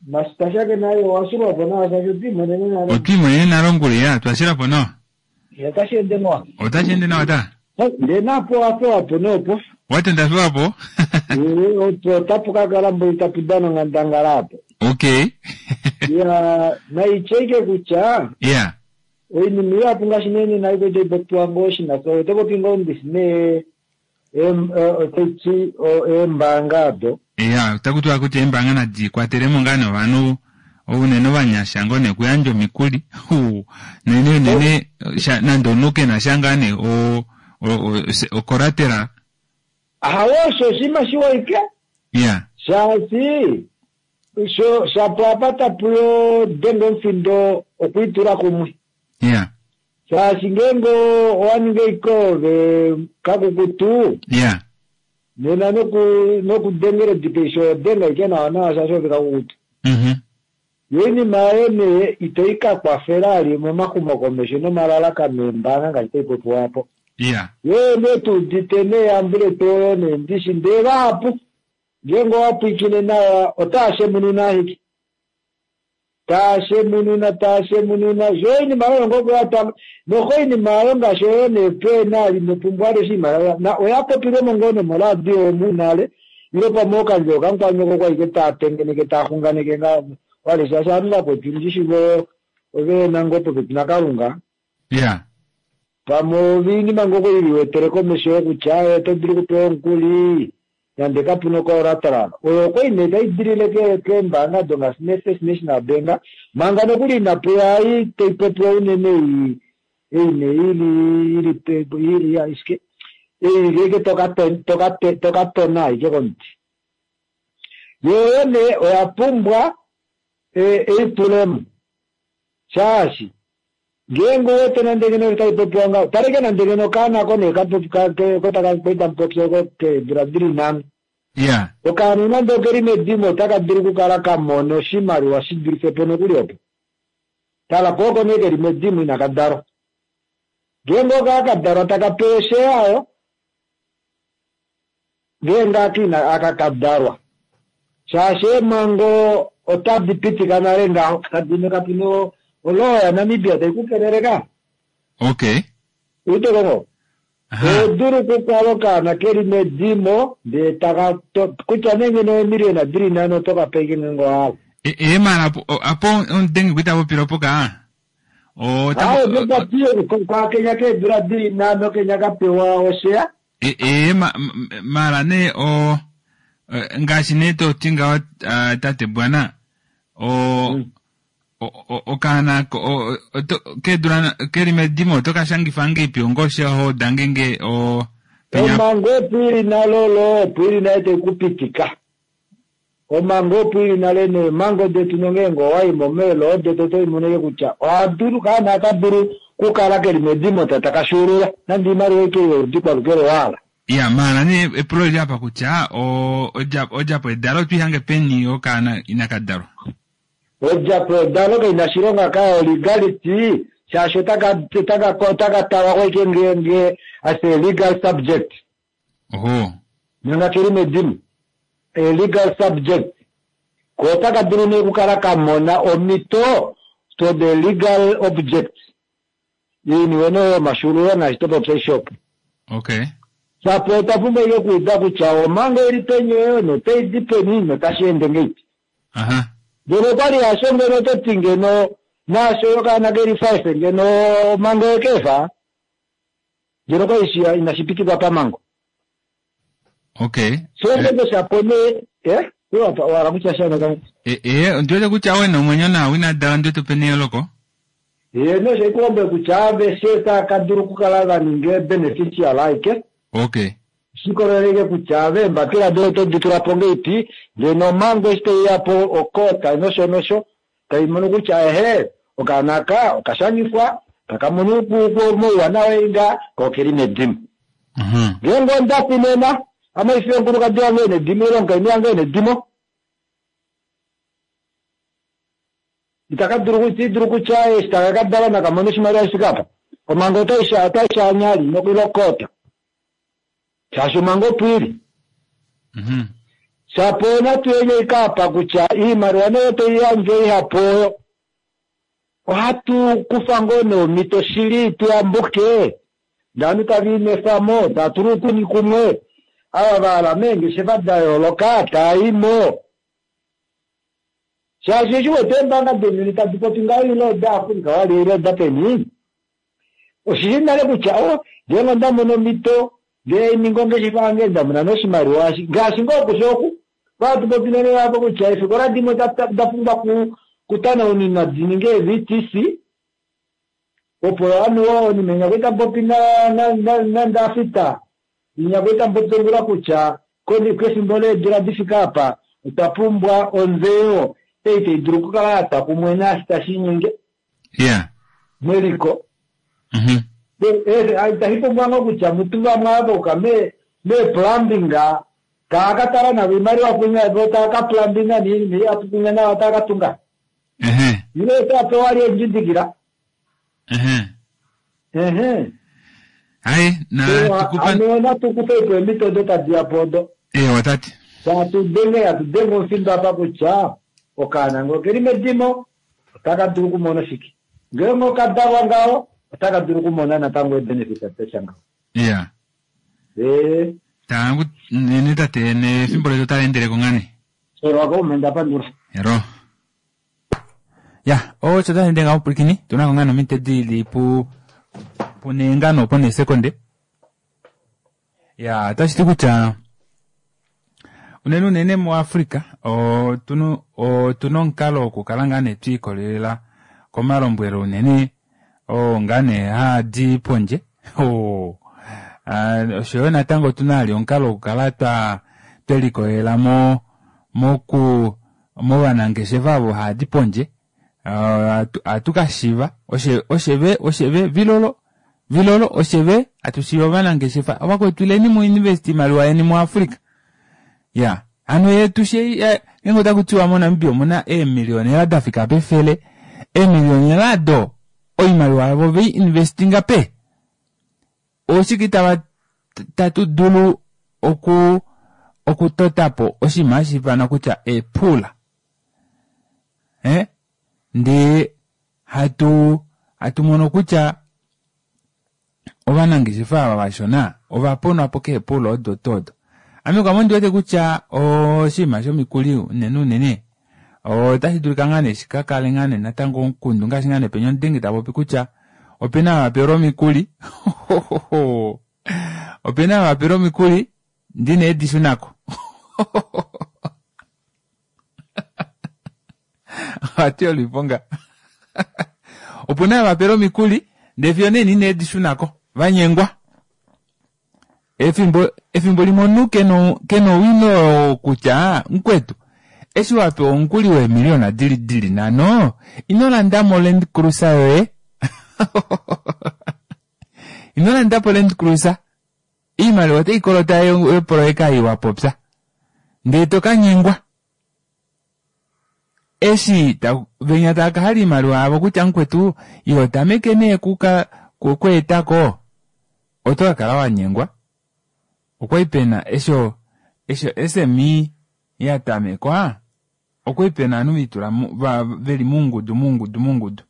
masitashake naye owashilwapo nawa shaashi otwiimonene nale.
Otwiimonene nale ongula ya, twashilapo nawa.
Otashi ende nawa.
Otashi ende nawa ta?
Ndee napo wapewapo noopo.
Watenda pewapo?
Eh, opo otapu kakala mboli tapu dana onghandangala apo.
Okay.
Ya naityeike kutya
Yeah.
oinima ihapu ngaashi nee nena aiko taipopiwa ngoo shinasa oto popi ngoo ndisi nee em- eh, otaiti eembaanga ado.
Ya, otaku tiwa kutya eembanga nadi kwatelemo ngaa novanhu unene ovanyasha ngoo nekuyandja omikuli. Hu, nene unene sha- nande omunhu kena sha ngaa nee o- o- o- se- okolatela.
Ahawe osho oshinima shiwa ike.
Ya.
Shaashi sho shapo apa tapu denga omufindo okwiitula kumwe.
Ya.
Shaashi ngeenge owaninga ike ove kakukutu
Ya.
nena noku nokudengela odipeisho odenga ike nawa nawa shaashi ove kakukutu.
Mhm.
Yo oinima yoye nee itoyi ka kwafela ali momaxumokomesho nomalalakano eembaanga ngaashi taipopiwa apo.
Ya.
Yo nee tuudite neeyambulepo oyo nee ndishi ndee vahapu ngeenge owapwiikine nawa otaa shemununa ashike. Taa shemununa taa shemununa sho oinima oyo ngoo yatwa noho oinima oyo ngaashi oyo nee peena inopumbwa ali oshimaliwa na oya popilwemo ngoo nomoradio omu nale ile pamwe okandje okankwanyoko kwaike taa tengeneke taa xunganeke nga wale shaashi ovanhu vakwetu ndishi vo oveena ngoo popepi naKalunga.
Ya.
Pamwe oinima ngoo kwali komesho yokutya oto dulu okupewa omukuli nande kapuna collateral oyo okwali nee taidilile keembaanga do ngaashi nee First National Bank manga nokuli inapuya ei taipopiwa unene ei ei nee ili ili ili ya ishike ei ike tokatona ashike komuti yo nee oya pumbwa eitulemo shaashi ngeenge owete nande ngeno taipopiwa ngaho taleke nande ngeno okaana ko nee kotakamupopya keedula dili nhano.
Ya.
Okaana nande okeli medimo otaka dulu okukala kamona oshimaliwa shidulife po nokuli opo. Tala ko oko nee keli medimo inaka dalwa. Ngeenge okaa kadalwa taka pewa osheya ayo ngeenge aka ina aka kadalwa. Shaashi eemhango otadi pitika nale ngaho kadino kapuna olowa yaNamibia taikukelele ka.
Okay.
Uitekongo.
Aha.
Odulu okukala okaana keli medimo ndee taka kutya nee ngeno eemiliyona dili nhano otoka ike ngeenge owahala.
E e mara apo apo ondenge kuita popila opo ka. O
Aye nokwapiye kwakenya keedula dili nhano kenya kapewa osheya.
E e ma, mara nee o ngaashi nee toti ngaho tate Bwana o
Mm.
okaana keedula keli medimo oto kashangifa ngeipi ongoshe ho ngenge o penya
Omhango opo ili nale olo opo ili nale taikupitika. Omhango opo ili nale neemhango detu nongeenge owaimo meelo detu otoimoneke kutya ohadulu kaana akadulu kukala keli medimo ta kashuulula nande oimaliwa ike yoludi kwalukele wahala.
Ya mara nee epulo lili apa kutya o odjapo edalo otwiihange peni okaana inaka dalwa.
Odjapo edalo kaina shilonga kayo legality Shaashi otaka otaka otaka talwa ko nge nge as a legal subject.
Oho.
Manga keli medimo. A legal subject. Ko otaka dulu nee okukala ka mona omhito to the legal object. Iiniwe nee yomashululo ngaashi topopya shop.
Okay.
Shapo otwa pumbwa ike okuuda kutya omhango ili peni oyo notai di peni notashi ende ngeipi.
Aha.
Ngeno okwali hasho ngeno oto ti ngeno naasho okaana keli five ngeno omhango yekefa ngeno okwali shi inashi pitikwa pamhango.
Okay.
So ngenge shapo nee eh wala kutya sha natango.
Eh eh ondiwete kutya owe nomwenyo nawa ina dala ndiwete opena eyooloko.
Ye nosho ikulombwele kutya aveshe tava ka dulu okukala va ninga beneficial aike.
Okay.
Shikoleleke kutya ave eembapila doye oto di tula po ngeipi, ngeno omhango eshi taiya po okota nosho nosho tai mono kutya ehe okaana aka okashangifwa taka mono mouwanawa inga ko okeli medimo.
Mhm.
Ngeenge onda fi nena ame haifi omukulukadi wange ena edimo ile omukainhu wange ena edimo. Itaka dulu iti dulu kutya eshi taka ka dalwa naka mone oshimaliwa shi fike apa. Omhango otai otai shaanya li nokilokota. Shaashi omhango opo ili.
Mhm.
Shapo natu yenye ikapa kutya iimaliwa nee tai yandjwa ihapu oyo ohatu kufa ngoo neemhito shili tuyambuke ndee ovanhu tava inwefa mo tava tula oukuni kumwe ava vahala meengeshefa da yooloka taaimo shaashi eshi wete eembanga dounyuni tadi popi ngaho ile oda Africa wali ile oda peni oshili nale kutya o ngeenge onda mono omhito ngee ninga ongeshefa yange ndamona noshimaliwa ngaashi ngoo okusha oku vatu popi nale apo kutya eefikola dimwe da pumbwa kutanaunina di ninge ee-V T C opo anuwa onime nyakuita popi nandafita nyakuita popi ngula kutya kefimbo leedula difika apa otwa pumbwa onzeyo ei tai dulu okukala yatwa kumwe naashi tashi inyenge
Yeah.
meliko.
Mhm.
Itashi pumbwa ngoo kutya mutu vamwe ava uka me me-plumbing taa ka tala navo oimaliwa kunya vo taa ka plumbinga niinima ihapu kunya nawa taa ka tunga.
Ehe.
Ile otaa pewa ali endjidikila.
Ehe.
Ehe.
Hai na tukupa
Ame natukupa ipo eemhito odo tadi ya po odo.
Eh watati.
Tatu denge hatu denge omufindo apa kutya okaana ngee okeli medimo otaka dulu okumona shike. Ngeenge okadalwa ngaho otaka dulu okumona natango ebenefit atesha ngaho.
Yeah.
Eh.
Tangu nene tate nefimbo letu otali endeleko ngane.
Soro wako umenda pandula.
Ero. Ya, osho tashi ende ngaho pwilikini, tuna ko ngano omite dili pu punengano opo nesekonde. Ya, otashi ti kutya unene unene muAfrica otuna otuna omukalo wokukala ngaa nee twiikolelela komalombwelo unene oo ngaa nee haadi pondje. Oshoyo natango otuna ali omukalo wokukala twa twelikolelela mo moku movanangeshefa avo haadi pondje. Ohatu kashiva oshe osheve osheve vilolo vilolo osheve atushiva ovanangeshefa ovakwetu ileni mu invest iimaliwa yeni muAfrica. Ya, hano yetu she ngeenge otaku tiwa moNamibia omuna eemiliyonela dafika pefele, eemiliyonela do oimaliwa yavo vei investinga pe. Oshike tava tatu dulu oku okutotapo oshinima hashi ifanwa kutya eepula. Eh? Ndee hatu hatu mono kutya ovanangeshefa ava vashona ova ponwa po keepula odo todo. Ame kwame ondi wete kutya oshinima shomikuli unene unene otashi dulika ngaa nee shika kale ngaa nee natango omukundu ngaashi ngaa nee penya omudenge ta popi kutya opena ava vapelwa omikuli opena ava vapelwa omikuli ndina edi shunako. Ohatu yoliponga. Opuna ava vapelwa omikuli ndee fiyo nee nina edi shunako vanyengwa. Efimbo efimbo limwe omunhu kena kena owino kutya mukwetu eshi wapewa omukuli weemiliyona dili dili nhano ino landamo Land Cruiser yoye. Ino landapo Land Cruiser. Iimaliwa otai kolota yopoloyeka ei wapopya ndee tokanyengwa. Eshi ta, venya tava ka hala oimaliwa yavo kutya mukwetu iho tameke nee kuka kweetako oto ka kala wanyengwa. Okwali pena esho esho S M E ya tamekwa okwali pena ovanhu veitula veli moungudu moungudu moungudu.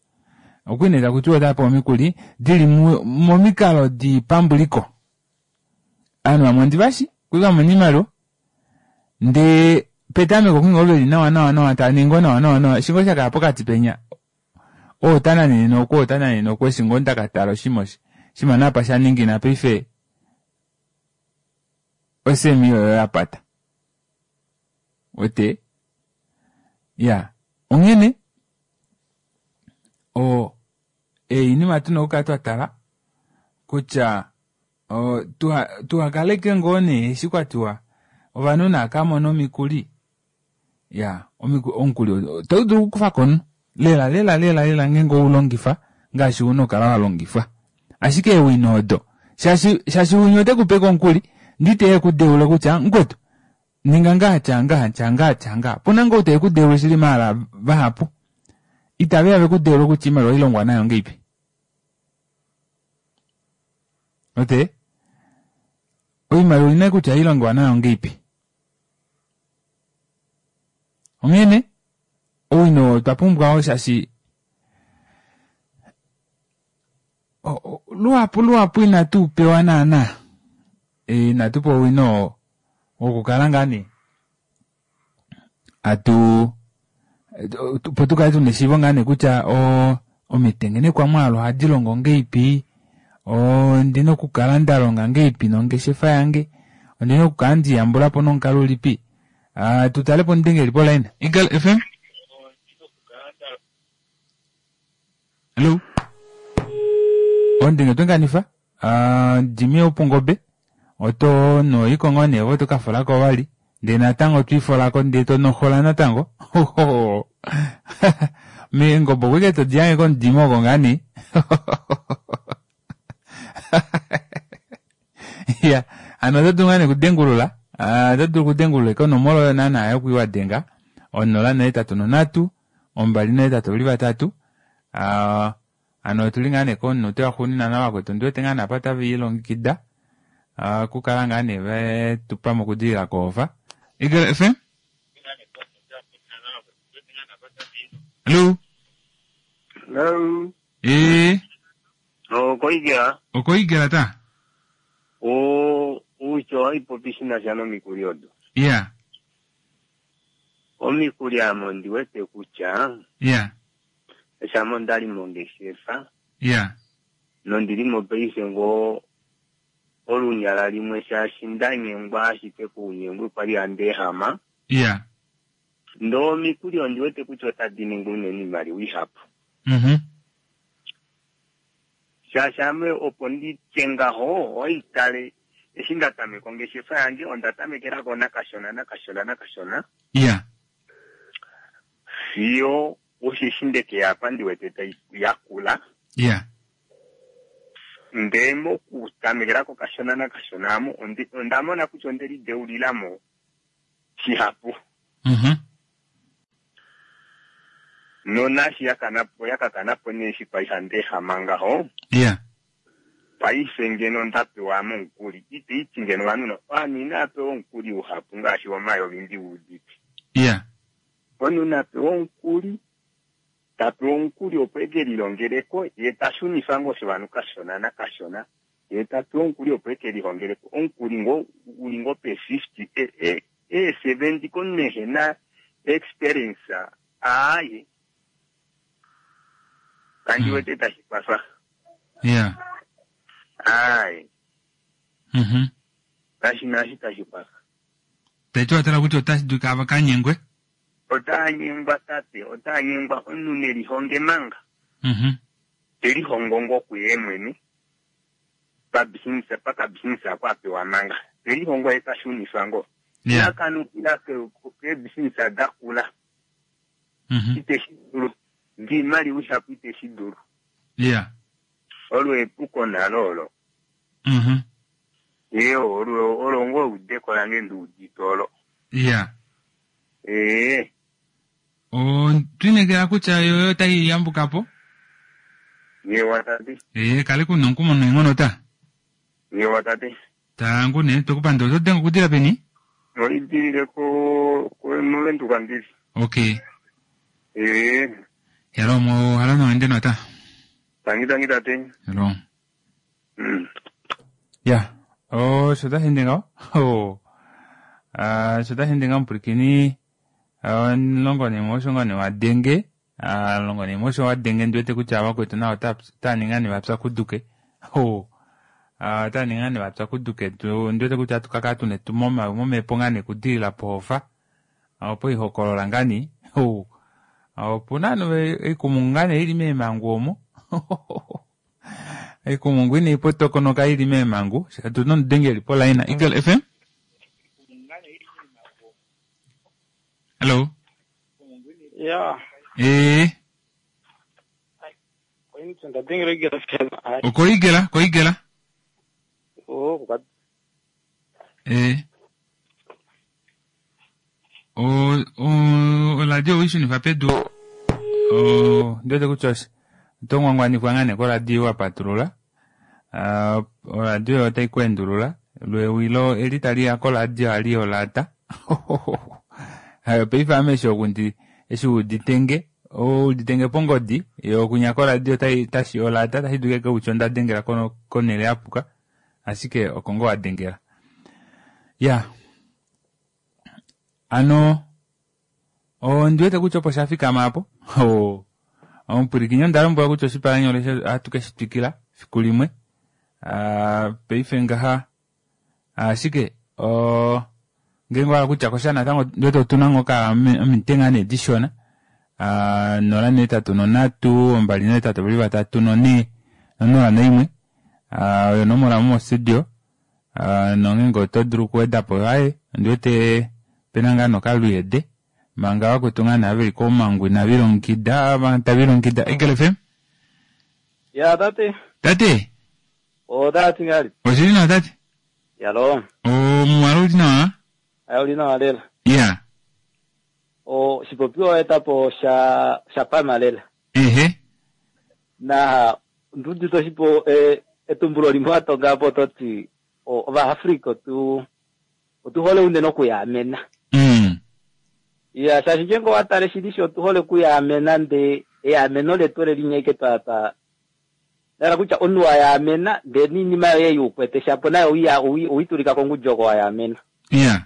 Okwali nee taku tiwa otava pewa omikuli dili momikalo dipambuliko. Ovanhu vamwe ondivashi okwali vamona oimaliwa ndee petameko okwali ngoo veli nawa nawa nawa tava ningi nawa nawa nawa eshi ngoo shakaya pokati penya oo tananene noku oo tananene noku eshi ngoo ndakatala oshima shima napa shaningina paife S M E oyo yapata. Wete ya onghene o einima tuna okukala twatala kutya tuhakaleke ngoo nee eshi kwatiwa ovanhu naakamona omikuli ya omukuli otau dulu okukufa komunhu lela lela lela lela ngeenge oulongifa ngaashi una okukala walongifwa ashike ewino odo shaashi shaashi winya ote kupe komukuli ndite kudeule kutya mukwetu ninga ngaha tya ngaha tya ngaha tya ngaha puna ngoo te kudeule shili maala vahapu itave vekudeule kutya iimaliwa ilongwa nayo ngeipi ote oimaliwa ina kutya ilongwa nayo ngeipi onghene owino twa pumbwa shaashi luhapu luhapu inatu pewa naana inatu pewa owino wokukala ngaa nee atu opo tukale tuna eshiivo ngaa nee kutya omitengenekwa mwaalu ohadi longo ngeipi ondina okukala ndalonga ngeipi nongeshefa yange ondina okukala ndiyambulapo nomukalo ulipi. Tutalepo omudengeli polaina Eagle F M. Hello. Ondenge twenganifa Jimmy Opungobe oto noiko ngoo nee vo tokafolako vali ndee natango twiifolako ndee tonohola natango meengobe okwike todiyange komudimo oko ngaa nee ya ano oto dulu ngaa nee okudengulula oto dulu okudengulula konomola oyo naana yokuiwadenga onola nohetatu nonhatu ombali nohetatu ovali vatatu ano otuli ngaa nee komunute waxuuninwa navakwetu ondiwete ngaa nee apa otave ilongekida okukala ngaa nee vetupa mokudilila koofa. Eagle F M. Hello.
Hello.
Eh.
Okoigela.
Okoigela ta.
O ucho haipopi shina sha nomikuli odo.
Yeah.
Omikuli amo ndiwete kutya.
Yeah.
Eshamo ndali mongeshefa.
Yeah.
Nondili mopaife ngoo olunyala limwe shaashi ndanyengwa ashike kuunyengwi kwali andehama.
Yeah.
Ndo omikuli ondiwete kutya otadi ningi unene iimaliwa ihapu.
Mhm.
Shaashi ame opo nditye ngaho oitale eshi ndatameka ongeshefa yange ondatamekelako nakashona nakashona nakashona.
Yeah.
Fiyo osheshi ndeke yapa ndiwete tai yakula.
Yeah.
Ndee mokutamekelako kashona nakashona amo ondamona kutya ondelideulilamo shihapu.
Mhm.
Nonashi yakanapo yakakanapo neshi kwaihandehama ngaho.
Yeah.
Paife ngeno ndapewa omukuli iteiti ngeno vanhu ovanhu inapewa omukuli uhapu ngaashi womayovi ndiudite.
Yeah.
Omunhu napewa omukuli tapewa omukuli opo eke lilongeleko ye tashunifa ngoo oshivanhu kashona nakashona ye tapewa omukuli opo eke lihongeleko omukuli ngoo uli ngoo pe fifty e seventy komunhu ehena experience aaye kandiwete tashi kwafa.
Yeah.
Aaye.
Mhm.
Kashina ashi tashi kwafa.
Taiti watala kutya otashi dulika avakanyengwe?
Otanyengwa tate, otanyengwa omunhu nelihonge manga.
Mhm.
Telihongo ngoo kuye mwene. Pabisinisa pakabisinisa kwapewa manga. Telihongo etashunifa ngoo.
Yeah.
Nakanukila kebisinisa dakula.
Mhm.
Iteshi dulu. Ndiimaliwa ihapu iteshi dulu.
Yeah.
Olwo epuko nalo olo.
Mhm.
Ee olwo olwo ngoo eudeko lange ndiudite olo.
Yeah.
Ee.
Otwiinekela kutya yo otayi yambuka po.
Yewa tate.
Ee, kale kuna omukumo neenghono ta.
Yewa tate.
Tangu ne, tokupanda oto denge okudila peni?
Oidilile ko ko movenduka ndili.
Okay.
Ee,
Hello, mo halo no ende nota.
tangi tangi tate.
Hello.
Mm.
Ya. Oh, sho tashi ende ngaho? Oh. Ah, sho tashi ende ngaho mupwilikini. Ah, longo nemwe osho nga ne wadenge. Ah, longo nemwe osho wadenge ndi wete kutya vakwetu nao ota ota ninga ne vapyakuduke. Oh. Ah, ota ninga ne vapyakuduke. Tu ndi wete kutya atu kaka tune tu moma momhepo nga ne kudilila pohofa. Opo ihokolola ngani. Oh. Opuna no ikumungu nga ne ili meemangu omo. Ikumungu ine ipotokonoka ili meemangu. Tuna omudengeli polaina. Eagle F M? Hello.
Ya,
Eh,
ndadengela igela fela. Hayi,
okoigela, koigela.
oh, kuka
Eh. O o oradio wishunifa pedu. O ndiwete kutya oshi- oto ngwangwanifwa ngaa nee koradio wa patulula. Ah, oradio otayi ku endulula. Lwewilo eli tali ya koradio ali olata. Hayo paife ame eshi okundi eshi uditenge uditenge pongodi yo okunya koradio tayi tashi olata tashi dulike kutya onda dengela kono konele yapuka ashike oko ngoo wadengela. Ya, ano ondi wete kutya opo sha fikama apo. Oh. Omupwilikini onda lombwelwa kutya oshipalanyole sho ohatu ke shi twikila fiku limwe. Ah, paife ngaha ashike o ngenge owa hala kutya kosha natango ndi wete otuna ngoo ka ominute ngaa nee dishona. Ah, nola neetatu nonhatu, ombali neetatu vali vatatu nonhee nonola noimwe. Ah, oyo onomola mo studio. Ah, nongenge oto dulu okuweda po aye ondi wete pena ngaa nokaluyede manga vakwetu ngaa nee veli komangu inavilongekida tavilongekida. Eagle F M?
Ya tate.
Tate,
O tate ngali.
oshili nawa tate?
Yalo.
Omuwala uli nawa?
Ayo uli nawa lela.
Ya.
O shipopiwa etapo sha sha pama lela.
Ehe.
Na ndudite oshipo e, etumbulo limwe watonga po toti o Ovaafrika otu otuhole unene okuyaamena.
Mm.
Ya shaashi ngenge owatale shili shi otuhole okuyaamena nde eyaameno letu ole linyeke twa twa dala kutya omunhu wayaamena ndee niinima yoye yuukwete shapo nayo owiya- owi- owitulika kongudji oko wayaamena.
Ya.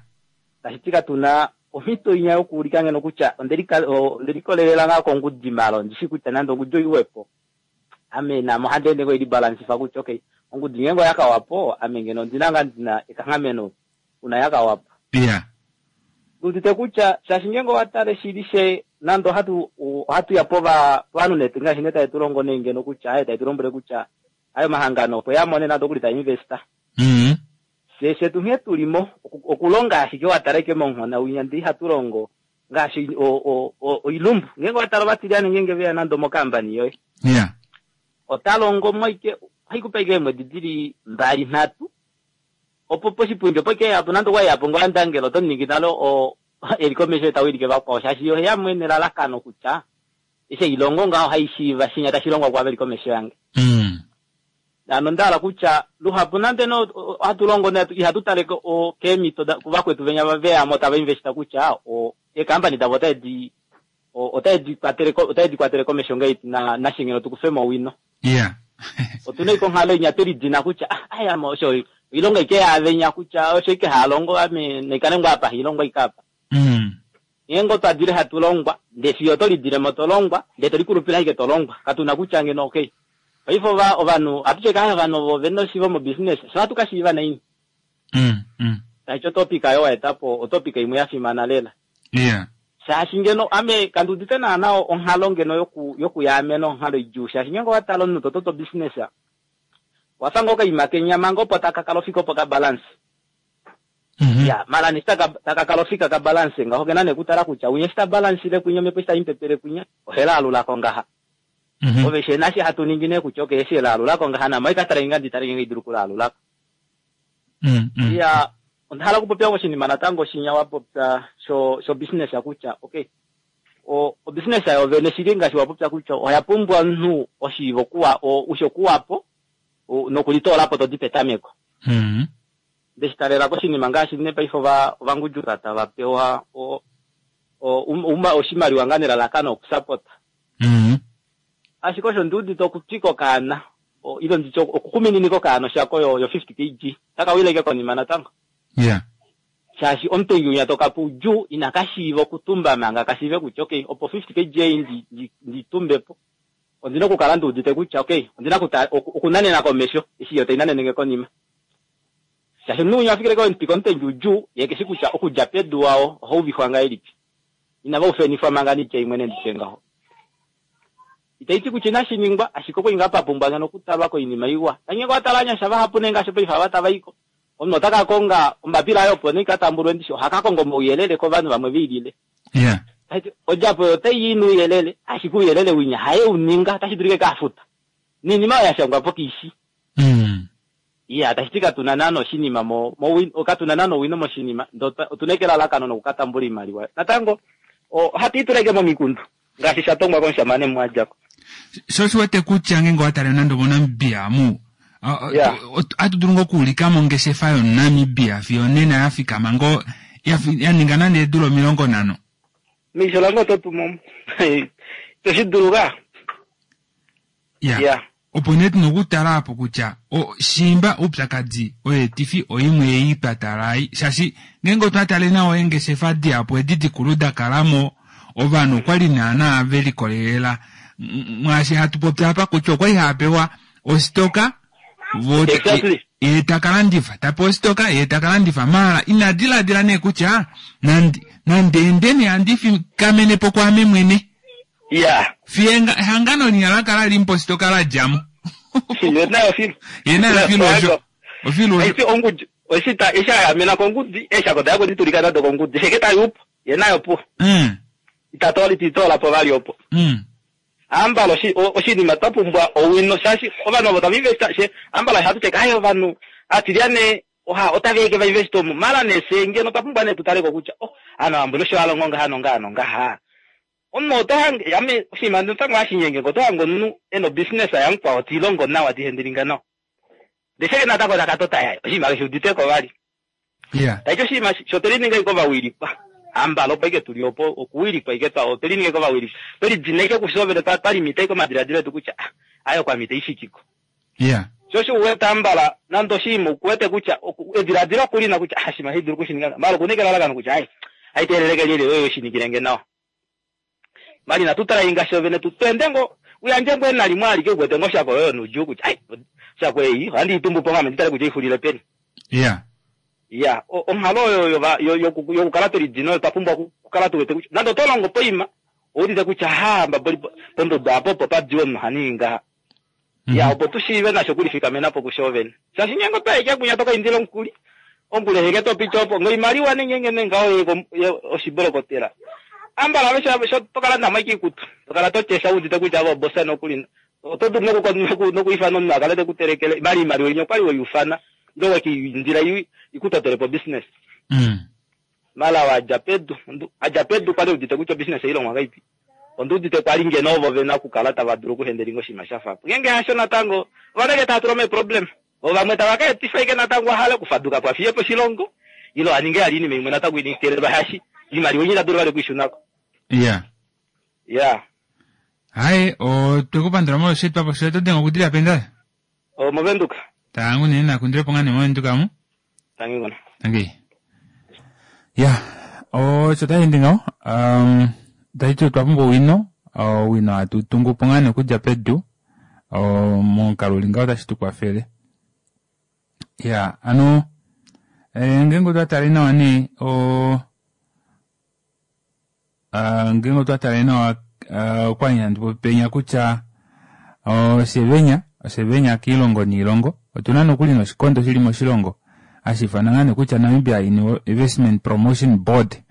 Tashi ti katuna omhito inya yokuulika ngeno kutya ondelika- o- ondelikolelela ngaa kongudi malo ndishi kutya nande ongudi oiwepo ame namo ohandi ende ngoo ilibalansifa kutya okay ongudi ngenge oyakawapo ame ngeno ondina ngaa ndina ekanghameno una yakawapo.
Ya.
Udite kutya shaashi ngenge owatale shili she nande ohatu ohatu ya pova povanhu netu ngaashi nee tae tulongo nee ngeno kutya aye tae tulombwele kutya aye omahangano opo yamone nande okuli taa investa.
Mm.
She shetu nghee tulimo oku- okulonga ashike watala ike monghona winya ndee ihatu longo ngaashi o- o- o- oilumbu ngenge watala ovatilyane ngenge veya nande omokambani yoye
Ya.
ota longo mo ike ohaikupa ike eemwedi dili mbali nhatu opo poshipundi opo ike yapo nande okwa yapo ngoo andangela oto ningi nalo o eli komesho tawilike vakwao shaashi yo oheya nelalakano kutya eshi eilongo ngaho haishiiva shinya tashi longwa kwaava veli komesho yange.
Mm.
Ano ndahala kutya luhapu nande no ohatu longo ne ihatu tale ko- o- keemhito da- kuvakwetu venya veyamo tava investa kutya o eekambani davo otaedi o- otaedi kwatele ko- otaedi kwatele komesho ngahelipi na nashingeno tukufemo owino.
Ya.
Otuna ike onghalo inya twelidina kutya ah ayamo osho oilonga ike yaavenya kutya osho ike haalongo ame naikale ngoo apa hailongwa ike apa.
Mm.
Ngenge otwadile hatu longwa ndee fiyo oto lidilemo tolongwa ndee tolikulupila ashike tolongwa katuna kutya ngeno okay paife ova ovanhu ohatu tye ovanhu ovo vena oshiivo mobusiness sho ohatu kashiiva naini.
Mm. Mm.
Tashi otopika yo waetapo otopika imwe yafimana lela.
Ya.
Shaashi ngeno ame kandiudite naana onghalo ngeno yoku yokuyaamena onghalo idjuu shaashi ngenge owatala omunhu tototo business wafa ngoo okaima kenya manga opo taka kala ofika opo kabalance.
Mm-hmm.
Ya mala neshi taka taka kala ofika kabalance ngaho kena nekutala kutya winya eshi tabalansile kwinya omhepo eshi taimupepele kwinya ohelaalulako ngaha.
Mm-hmm.
Ove she nashi hatu ningi nee kutya okay eshi elaalulako ngaha namo ikatale nga nditale ngenge idulu kulaalulako.
Mm. Mm.
Ya onda hala okupopya oshinima natango shinya wapopya sho sho business kutya okay O business yo vene shili ngaashi wa popya kutya oya pumbwa omunhu oshiivo kuwa usho kuwapo nokulitoolapo todi petameko.
Mm.
Ndeshitalela koshinima ngaashi ne paife ova ovangudjuka tava pewa o o oshimaliwa ngaa nelalakano okusapota.
Mm.
Ashike osho ndiudite okutwika okaana ile nditye okukumininika okaana oshako yo, yo fifty kg taka wileke konima natango.
Yeah.
Shaashi omutengi winya toka udjuu ina kashiiva okutumba manga kashiive kutya okay opo fifty kg ei ndi, ndi, nditumbepo ondina okukala ndiudite kutya okay ondina okunanena komesho eshi yo tainanenenge konima. Shaashi omunhu winya afikile ko omutengi udjuu ye keshi kutya okudja pedu wao ohauvifwa ngahelipi. Inava ufenifwa manga nitya imwe nenditye ngaho. Itaiti kutya inashi ningwa ashike okwa inga papumbwa ngeno okutalwa koinima iwa. Tange kwa tala anyasha vahapu nenga sho paife ava tava iko. Omunhu ota ka konga ombapila ayo opo neikatambulwe ndishi ohaka konga omauyelele kovanhu vamwe veilile.
Yeah.
Odjapo otai i nouyelele ashike ouyelele winya haye uninga otashi dulike kafuta. Niinima oyo ya shangwa po kiishi.
Mm.
Iya, tashi ti katuna naana oshinima mo, mo katuna naana owino moshinima, ndo otuna ekelalakano nokukatambula oimaliwa. Natango ohatu ituleke momikundu ngaashi sha tongwa komushamane mwadjako.
Sho shi wete kutya ngeenge wa tale nande moNamibia mu ohatu dulu ngoo okuulika mongeshefa yoNamibia fiyo nena ya fikama ngoo ya ninga nande eedula omilongo nhano.
Meisho lange oto tumo. Ito shi dulu ka.
Ya. Opo nee tuna okutala apo kutya shimba oupyakadi oyeetifi oimwe ei twa tala ai shaashi ngeenge otwa tale nawa eengeshefa dihapu edi dikulu da kalamo ovanhu okwali naana ve likolelela mwaashi hatu popi apa kutya okwali hava pewa ositoka vo
Exactly.
ye taka landifa tapewa ositoka ye taka landifa maala ina diladila nee kutya nandi nande endeni handi fikamenepo kwaame mwene.
Yeah.
Fiye ehangano linya la kala limpo ositoka la djamo.
Ye nayo filu.
Ye nayo filu osho. Ofilu osho.
Aisi ongudi. Oshita isha yamena kongudi, esha koda yako ditulika nado kongudi. Sheke tayupo. Ye nayo po.
Mm.
Itatola titola po vali opo.
Mm.
Ambalo shi oshinima twa pumbwa owino shaashi ovanhu ovo tava investa she ambalo hatu teka ayo ovanhu atilyane oha otaveke va investa omu mala nese ngeno twa pumbwa ne tutaleko kutya oh ano ambulo sho alongo ngaha nongaha nongaha. Omunhu ota hange ame oshinima natango hashinyenge ngo oto hange omunhu ena obusiness yamukwao tiilongo nawa tihendelinga nawa. Ndesheke natango takatota yayo oshinima keshe uditeko vali.
Yeah.
Taiti oshinima sho telininga iko vawilikwa. Ambalo opo ike tuli opo okuwilikwa ike twa otelininga iko vawilikwa. Twelidineke kushovele twa twalimita iko madiladilo etu kutya ah ayo kwamita ishikiko.
Yeah.
Sho sho uwete ambala nando oshinima ukuwete kutya ediladilo okulina kutya ah shima hidulu kushininga mbala okunike lalakano kutya ai aiteleleke lyeli oyo oshinikilenge nawa. Mali natutala inga shovene tutwende ngo uyandje ngo enalimwe alike ukuwete ngo shako oyo nuju kutya ai shako ei ohandi itumbu po ngame nditale kutya ifulile peni.
Yeah.
Ya, onghalo oyo yokukala twelidina oyo twa pumbwa okukala tuwete kutya nande oto longo poima oudite kutya ha mbaboli pondodo apo opo padiwe omunhu haningi ngaha. Ya, opo tushiive nasho okulifikamena po kushovene. Shaashi ngeenge otwaike kunya tokaindila omukuli, omukuli eheke topita opo ngoimaliwa nengenge nengaho oshibolokotela. Ambala aveshe sho tokala namo ikutu, tokala totyesha udite kutya avo obosa nokulina. Oto dulu nokuifana omunhu akale tekutelekele mali imaliwa inya okwali weyufana ndo wakiindila ikutotelepo business.
Mm.
Mala wadja pedu, adja pedu kwali udite kutya business ilongwa ngaipi. Onduudite kwali ngeno ovo vena okukala tava dulu okuhendelinga oshinima sha fapo. Ngeenge hasho natango ovanenge tava tula meeproblem. Vo vamwe tava ka etifa ike natango ahale okufaduka po afiye po oshilongo ilo aninge ali inima imwe natango initelelwa hashi imaliwa inyi tadulu vali okuishunako.
Yeah.
Yeah.
Hayi, otwekupandula molwosheetwapo shoye oto denge okudilila peni?
Movenduka.
Tangu nee nakundile po ngaa nee movenduka mu.
Tangi ngona.
Tangi. Yeah, osho tashi ngaho. Um, tashi otwa pumbwa owino, owino hatu tungu po ngaa nee okudja pedu. Momukalo uli ngaho otashi tu kwafele. Yeah, ano ngeenge otwa tale nawa nee o ngeenge otwa tale nawa okwali handi popi penya kutya oshevenya oshevenya kiilongo niilongo otuna nokuli noshikondo shili moshilongo hashi ifanwa ngaa nee kutya Namibia Investment Promotion Board.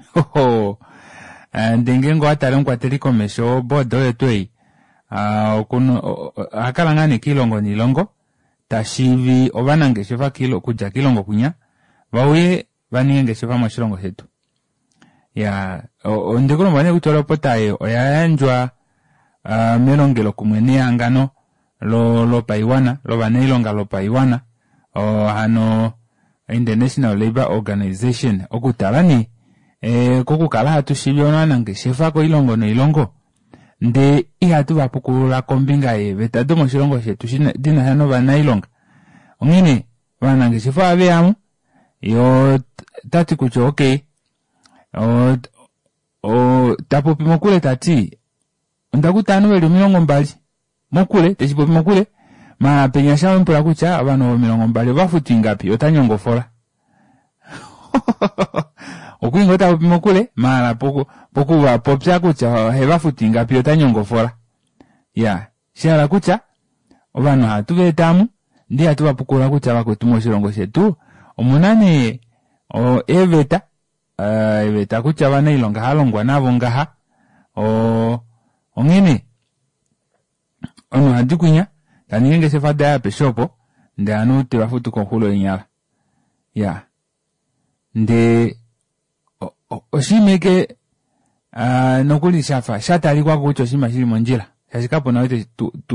Ndee ngeenge owatale omukwateli komesho woboard oyo tuu ei ohakala ngaa nee kiilongo niilongo tashiivi ovanangeshefa okudja kiilongo kwinya vauye vaninge ongeshefa moshilongo shetu. Ya ondekulomba nee kutya olopota ei oya yandjwa uh, melongelokumwe nehangano lo lopaiwana lovanailonga lopaiwana o, hano International Labour Organization okutala nee e, kokukala hatu shivi ovanangeshefa koilongo noilongo ndee ihatu va pukulula kombinga yeeveta domoshilongo shetu dina sha novanailonga. Onghene ovanangeshefa ohave yamo yo tati kutya okay o, o, tapopi mokule tati ondakuta ovanhu veli omilongo mbali mokule teshipopi mokule maala penya sha kutya ovanhu omilongo mbali ovafutu ingapi ota nyongofola okuinga ota popi mokule maala poku pokuvapopya kutya ohevafutu ingapi ota nyongofola ya shahala kutya ovanhu ohatu veetamu ndee hatu vapukula kutya vakwetu moshilongo shetu omuna nee eeveta eeveta kutya ovanailonga halongwa navo ngaha o onghene omunhu ohadi kwinya taningi engeshefa daye apeshe opo ndee ovanhu tevafutu koxulo yenyala ya ndee oshinima eke nokuli shafa shatalikwako kutya oshinima shili mondjila shaashi kapuna ou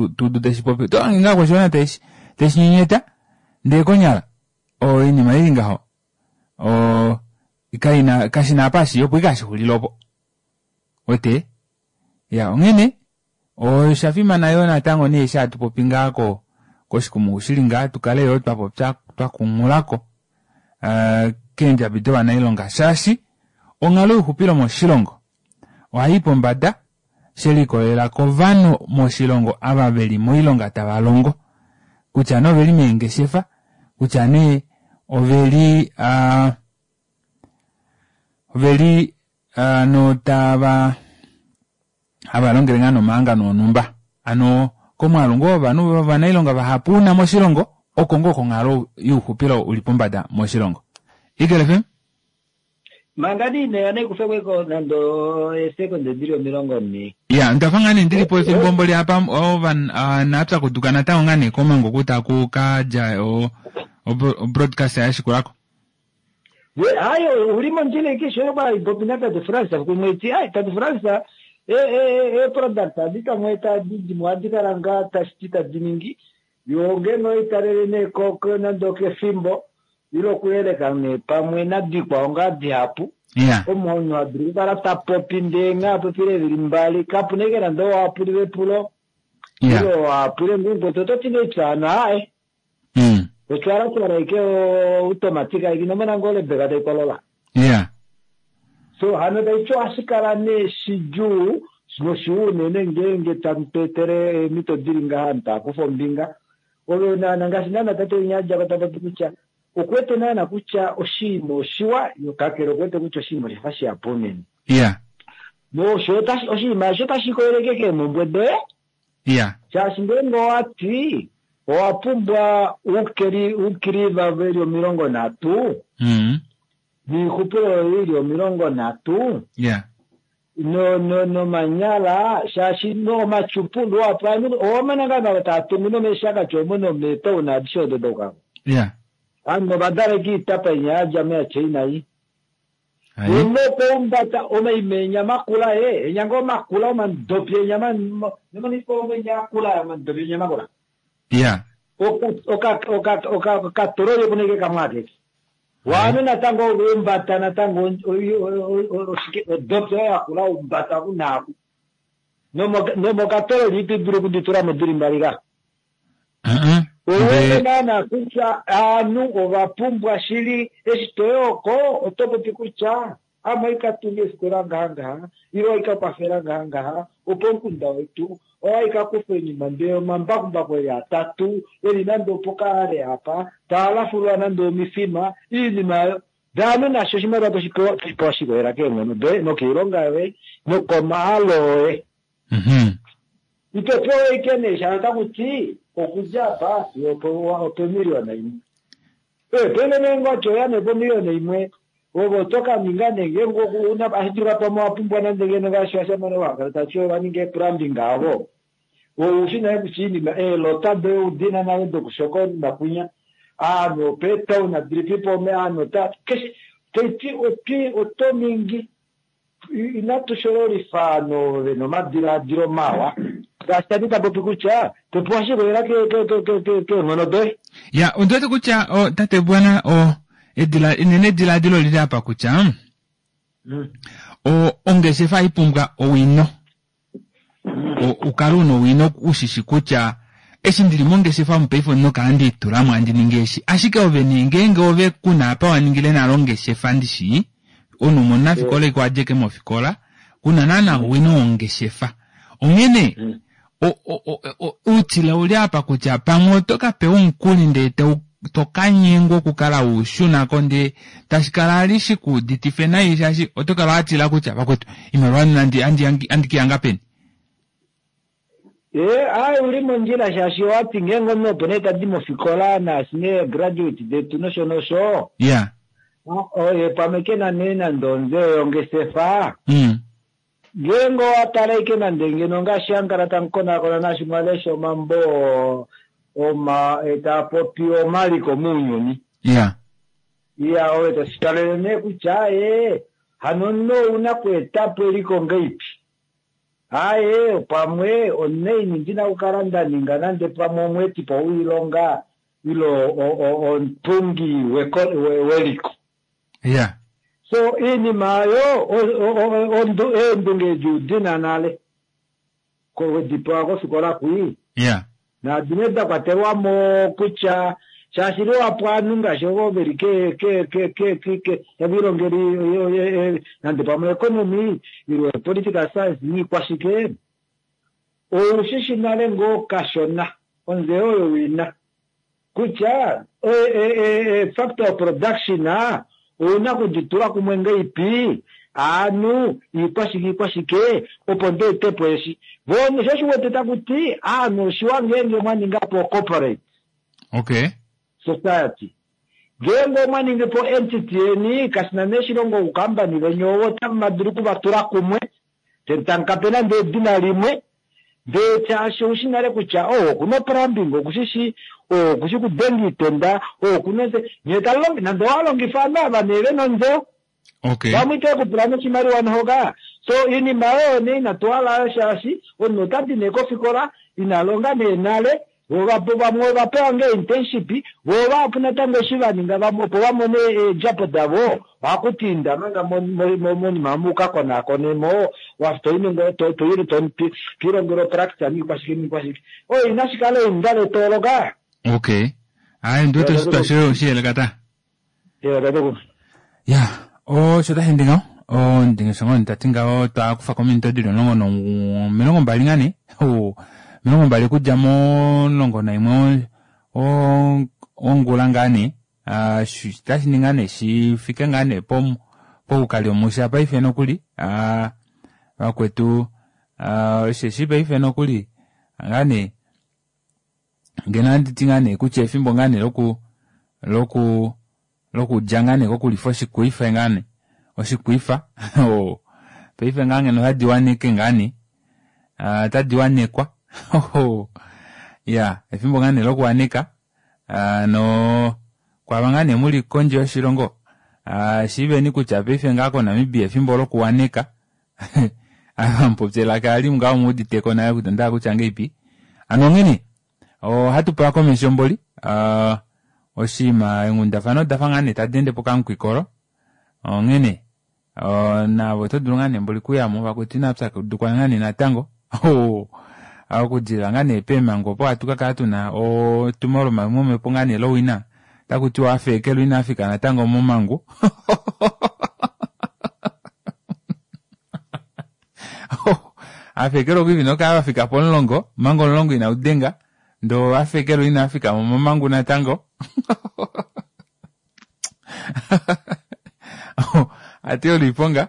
tuudu teshipopi tohange ngaa kwashiwana teshi teshinyenyeta ndee konyala oinima ili ngaho o kaina kashina apa hashi opo ike hashixulile opo wete ya onghene osha fimana yoo natango nee eshi hatu popi ngaa ko koshikumungu shili ngaa tukale yoo twapopya twakunghulako uh, keendjabi dovanailonga shaashi onghalo youxupilo moshilongo ohai pombada shelikolelela kovanhu moshilongo ava veli moilonga tava longo kutya nee oveli meengeshefa kutya nee oveli uh, oveli uh, no tava hava longele ngaa nomahangano onhumba ano komwaalu ngoo wovanhu vovanailonga vahapu una moshilongo oko ngoo konghalo youxupilo uli pombada moshilongo. Eagle F M?
Manga niine naikufekweko nando esekonde dili omilongo nhee.
Ya, ndafa ngaa nee ndilipo efimbo mboli apa ova naapyakuduka natango ngaa nee komango kutaku kadja o broadcast yashikulako.
Hayo uli mondjila ike kwa ipopi na Tate France kumweti ai Tate France e e e product adi kamweta didi adi kala ngaa tashiti tadi ningi yo ngeno italele nee koko nando kefimbo ilo kuyeleka nee pamwe nadikwao ngaa dihapu
Yeah.
omunhu adulu kukala tapopi ndee ngaa popile evili mbali kapuna ike nande owapulile epulo
Yeah.
ilo wapule ngungwetu ototi neitsana hayi
Mm.
otwalatwala ike automatic ike inomona ngoo lebeka taikolola
Yeah.
so hano taityo ohashi kala nee shidjuu noshiwa unene ngeenge tamu tweetele eemhito dili ngaha taakufa ombinga ove naana ngaashi naana tate winya adjako tapopi kutya okuwete naana kutya oshiima oshiwa kakele okuwete kutya oshiima oshafa shihapu unene
Yeah.
nosho oshinima osho tashi koeleke keemhumbwe doye
Yeah.
shaashi ngeenge owati owa pumbwa uukili uukiliva veli omilongo nhatu
Mm.
niixupilo yoye ili omilongo nhatu
Yeah.
no no nomanyala shaashi nomatyupundu apa owamona ngaa navo taa tungu nomeeshakati omo nomeetauna adishe odo dokako
Yeah.
ano ovadaleka iitapa inya yadja meachina i
Ai.
unokoumbata omaimenya makula e enyanga omakula omandopi enyama nomanipo omenya akula omandopi enya makula
Yeah.
okatoroye kuneke kamwe akeke waanu natango oumbata natango odopi oyo yakula umbata kunaaku nomokatololi ito dulu okuditula dili mbali ka
Uh-uh.
owete
Ndee
naana kutya aanhu ova pumbwa shili eshi toyoko oto popi kutya ame oikatunga efikola ngaha ngaha ile oikakwafela ngaha ngaha opo omukunda wetu owaikakufa oinima ndee omambakumbaku eli atatu eli nande opokaale apa taalafulwa nande omifima iinima ayo daanu nasho oshimaliwa toshipewa toshipewa shikolela keenghono doye nokoilonga yoye nokomaalo oye
Mhm.
ito pewa ike nee shalo takuti okudja apa fiyo opemiliyona imwe pene nengwati oya nee pomiliyona imwe ove oto kaninga nee ngeenge una ashidulika pamwe wapumbwa nande ngeno ngaashi vashamane wakala tati vaninge plumbing avo oushi naye kutya iinima eelota doye udina nale dokushoka oinima kwinya aanhu opetown dilipipo aanhu ta keshe taiti oti oto ningi inatu shololifa no nomadiladilo mawa ngaashi tati tapopi kutya topewa shikolela keenghono doye.
Ya, ondi wete kutya o, tate Bwana o edila enene ediladilo lili apa kutya
Mm.
o ongeshefa ipumbwa owino. O ukale una owino ushishi kutya eshi ndili mongeshefa omu paife ondina okukala ndiitulamo andi ningi eshi, ashike ove nee ngeenge ove kuna apa wa ningile nale ongeshefa ndishi omunhu umwe omunafikola iko adjeke mofikola kuna naana owino wongeshefa, onghene
Mm.
outila uli apa kutya pamwe oto ka pewa omukuli ndee tokanyengwa okukala ushunako ndee tashi kala ali shikuuditife nai shaashi oto kala watila kutya vakwetu iimaliwa andi andi andikiyanga peni.
Ee, ayi uli mondjila shaashi owati ngeenge omunhu opo nee tadi mofikola naashi nee graduate detu nosho nosho
ya
oye pamwe kena nee nande onzeyo yongeshefa
mm.
ngeenge owatala ike nande ngeno ngaashi hankala tamukonakona naashi mwalesha omambo oma taapopi omaliko muunyuni
ya
iya oye tashitalele nee kutya ee hano omunhu ouna kweetapo eliko ngeipi aye pamwe oneini ndina okukala nda ninga nande pamwe omweetipo woilonga ilo omutungi weliko
ya
so iinima oyo eendunge edi udina nale wedipewa kofikola kwii
ya
naadine da kwatelwamo kutya shaashi liwapo aanhu ngaashi ovo veli ke ke ke ke ke ke tavilongeli nande pamwe economy ilo political science niikwashike oushishi nale ngoo kashona onzeyo oyo wina kutya factor of production ouna kuditula kumwe ngeipi aanhu iikwashike iikwashike opo ndeetepo eshi vono sho shiwete takuti aanhu oshiwa ngeenge mwaningapo corporate
okay
society ngeenge omwaningipo entity yeni kashina nee shilongo ukambani venye owo otamu dulu kuvatula kumwe tamukape nande edina limwe ndee shaashi oushi nale kutya oh okuna plumbing okushishi oh okushi kudenga iitenda oh okuna nye talongi nande owalongifa ovanhu ava nee vena ontseyo
okay
vamwe ite kupula noshimaliwa nohoka so iinima oyo nee inatu hala shaashi omunhu otadi nee kofikola ina longa nee nale vamwe ovapewa ngee internship vo vahapu natango eshi vaninga opo vamone eedjapo davo ohakuti inda manga monima mukakonakonemo toilongele opractice niikwashike niikwashike oyo inashi kala einda letooloka.
Okay ayi ndiwete oshitwa oshiyeleka ta ya osho tashi ndi ngaho ondingesho ngoo tati ngaho twakufa kominute dili omulongo nomilongo mbali ngane omilongo mbali okudja momulongo naimwe wongula ngaa nee tashi ninga nee shifike ngaa nee poukali omusha paife nokuli vakwetu osheshi paife nokuli ngaa nee ngeno anditi ngaa nee kutya efimbo ngaa nee loku loku lokudja ngaa nee kokulifa oshikwifa ngaa nee oshikwifa paife ngaa ngeno otadi waneke ngaa nee otadi wanekwa ya efimbo ngaa nee lokuwaneka no kwava ngaa nee muli kondje yoshilongo shiiveni kutya paife ngaa koNamibia efimbo lokuwaneka amupopye elaka ali ngaho muuditeko naye kutya ndaa kutya ngeipi ano onghene ohatu pula komesho mboli oshinima enghundafano odafa ngaa nee tadi ende pokamukwikolo onghene navo oto dulu ngaa nee mboli kuyamo vakwetu inapyakudukwa ngaa nee natango okudilila ngaa nee peemhango opo hatu kakala tuna otumo lomamwemepo ngaa nee lowina otakutiwa afeekelwa inafika natango momangu afeekelwa okwiivi nokala vafika pomulongo manga omulongo inaudenga ndo afeekelwa inafika momangu natango ati oliponga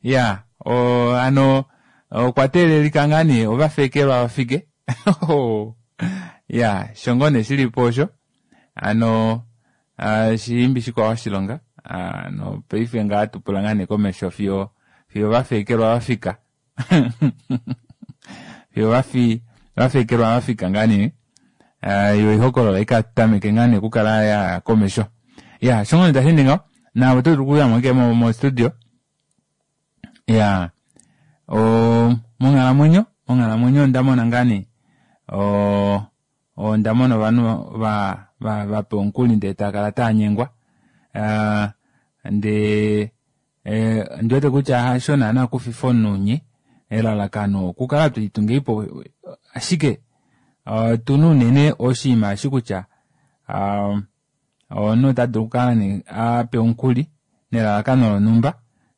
ya ano okwa teelelika ngaa nee ovafeekelwa vafike ya shongo nee shilipo osho ano shiimbi shikwao oshilonga ano paife ngaa tupula ngaa nee komesho fiyo fiyo vafeekelwa vafika fiyo vafi vafeekelwa vafika ngaa nee yo ihokolola ikatameke ngaa nee okukala ya komesho ya shongo nee tashi ndi ngaho. Naave oto dulu okuyamo ashike mo studio. Iyaa oo monghalamwenyo monghalamwenyo onda mona ngaa nee oo onda mona ovanhu va va vapewa omukuli ndee taakala taanyengwa aa ndee ondiwete kutya hasho naana okufifa omunhu unye elalakano okukala tulitungiipo ashike otuna unene oshinima eshi kutya omunhu ota dulu okukala nee apewa omukuli nelalakano lonhumba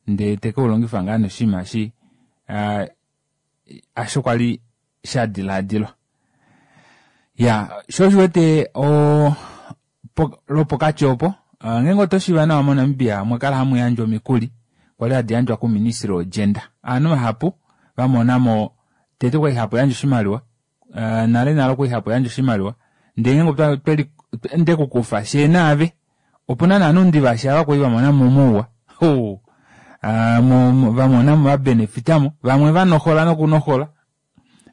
ndee tekeulongifa ngaa nee oshinima eshi hasho kwali shadilaadilwa. Iyaa shoo osho uwete lwopokati opo ngeenge oto shiiva nawa mo Namibia omwakala hamuyandjwa omikuli kwali hadi yandjwa kuministry wo gender. Ovanhu vahapu vamonamo tete okwali hapa yandjwa oshimaliwa nale nale okwali hapa yandjwa oshimaliwa ndee ngeenge ndekukufa fyee naave opuna nee ovanhu ndivashi ava kwali vamonamo omauwa oo vamonamo vabenefitamo vamwe vanohola nokunohola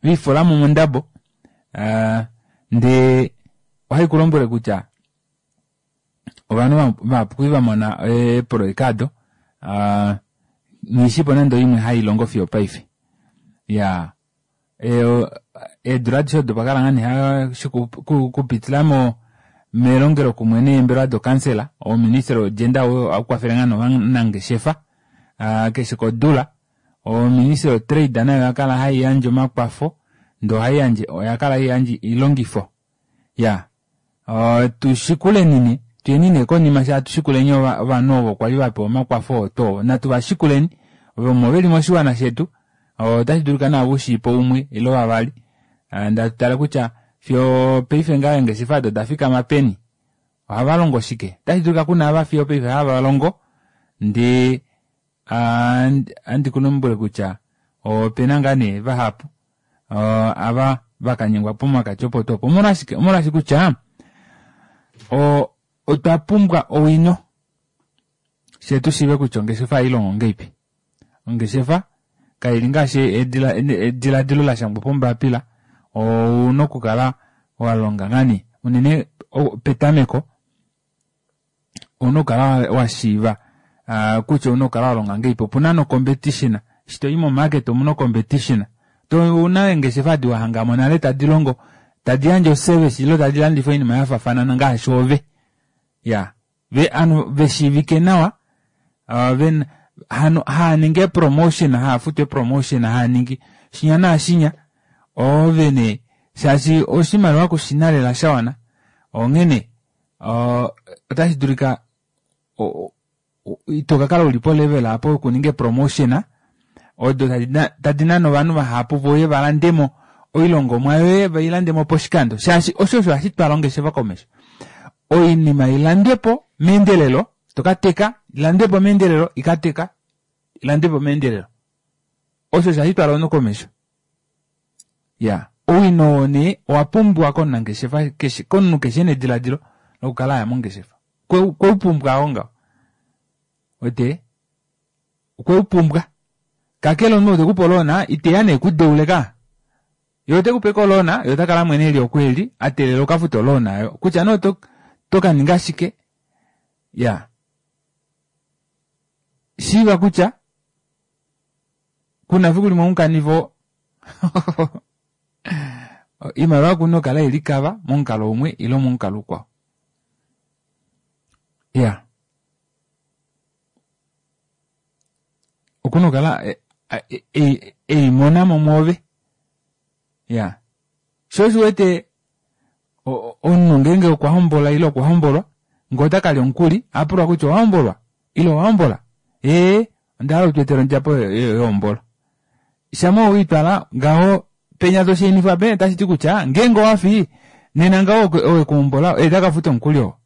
viifolamo mondabo ndee ohaikulombwele kutya ovanhu vahapu kwali vamona eeprojeka aado nghishipo nande oimwe hailongo fiyo opaife. Iyaa eedula adishe odo opakala ngoo nee okupitila melongelokumwe neembelewa dokansela ouministry wo gender ohaukwafele ngoo nee ovanangeshefa keshe kodula. Oministry yo trade nayo oyakala haiyandje omakwafo ndee ohaiyandje oyakala haiyandje oilongifo. Iyaa tushikuleni nee tuyeni nee konima fyee hatushikuleni ovanhu ovo kwali vapewa omakwafo oo tuu oo natu vashikuleni omo veli moshiwana shetu ota shidulika naave ushiipo umwe ile vavali ndee hatutale kutya fiyo opaife ngaha eengeshefa aado odafikama peni ohavalongo shike ota shidulika kuna ava fiyo opaife hava ndee ohandi kulombwele kutya opena ngaa nee vahapu ava vakanyengwa pomakati opo tuu opo. Omolwashike? Omolwaashi kutya otwa pumbwa owino fyee tushiive kutya ongeshefa ohailongo ngahelipi. Ongeshefa kaili ngaashi edilaadilo lashangwa pombapila ouna okukala walonga ngaa nee unene petameko ouna okukala washiiva kutya ouna okukala walonga ngahelipi. Opuna no competition eshi toyi mo market omuna o competition ouna eengeshefa edi wahangamo nale tadilongo tadi yandje o service ile tadi landifa oinima yafaafana ngaashi ove. Iyaa ovanhu veshiivike nawa hano haaningi eepromotion haafutu eepromotion haaningi shinya naashinya oove nee shaashi oshimaliwa kushina lela shawana onghene ota shidulika itokakala uli po level aapo yokuninga eepromotion odo tadi nane ovanhu vahapu veuye valandemo oilongomwa yoye veilandemo poshikando shaashi osho osho hashi twala ongeshefa komesho. Oinima ilandwepo meendelelo tokateka ilandwepo meendelelo ikateka ilandwepo meendelelo osho osho hashi twala omunhu komesho. Iyaa owino oo nee owapumbiwa komunangeshefa keshe komunhu keshe ena edilaadilo lokukala aya mongeshefa okweupumbwa oo ngaho uwete okweupumbwa kakele omunhu ou tekupe oloona iteya nee ekudeule ka yee otekupe ashike oloona yee otakala amwene eli oku eli ateelela ukafute oloona aayo kutya nee otokaninga shike iyaa shiiva kutya kuna efiku limwe mukanife oimaliwa okuna okukala ilikava momukalo umwe ile momukalo ukwao. Iyaa okuna okukala eimonamo mwoove. Iyaa shoo osho uwete omunhu ngeenge okwa hombola ile okwa hombolwa ngee otakalya omukuli ohapulwa kutya owahombolwa ile owahombola ee ondahala utweetele ondjapo yehombolo. Shama weitwala ngaho penya toshainifwa penya otashiti kutya ngeenge owafi nena ngaho ou ekuhombola oye takafuta omukuli oo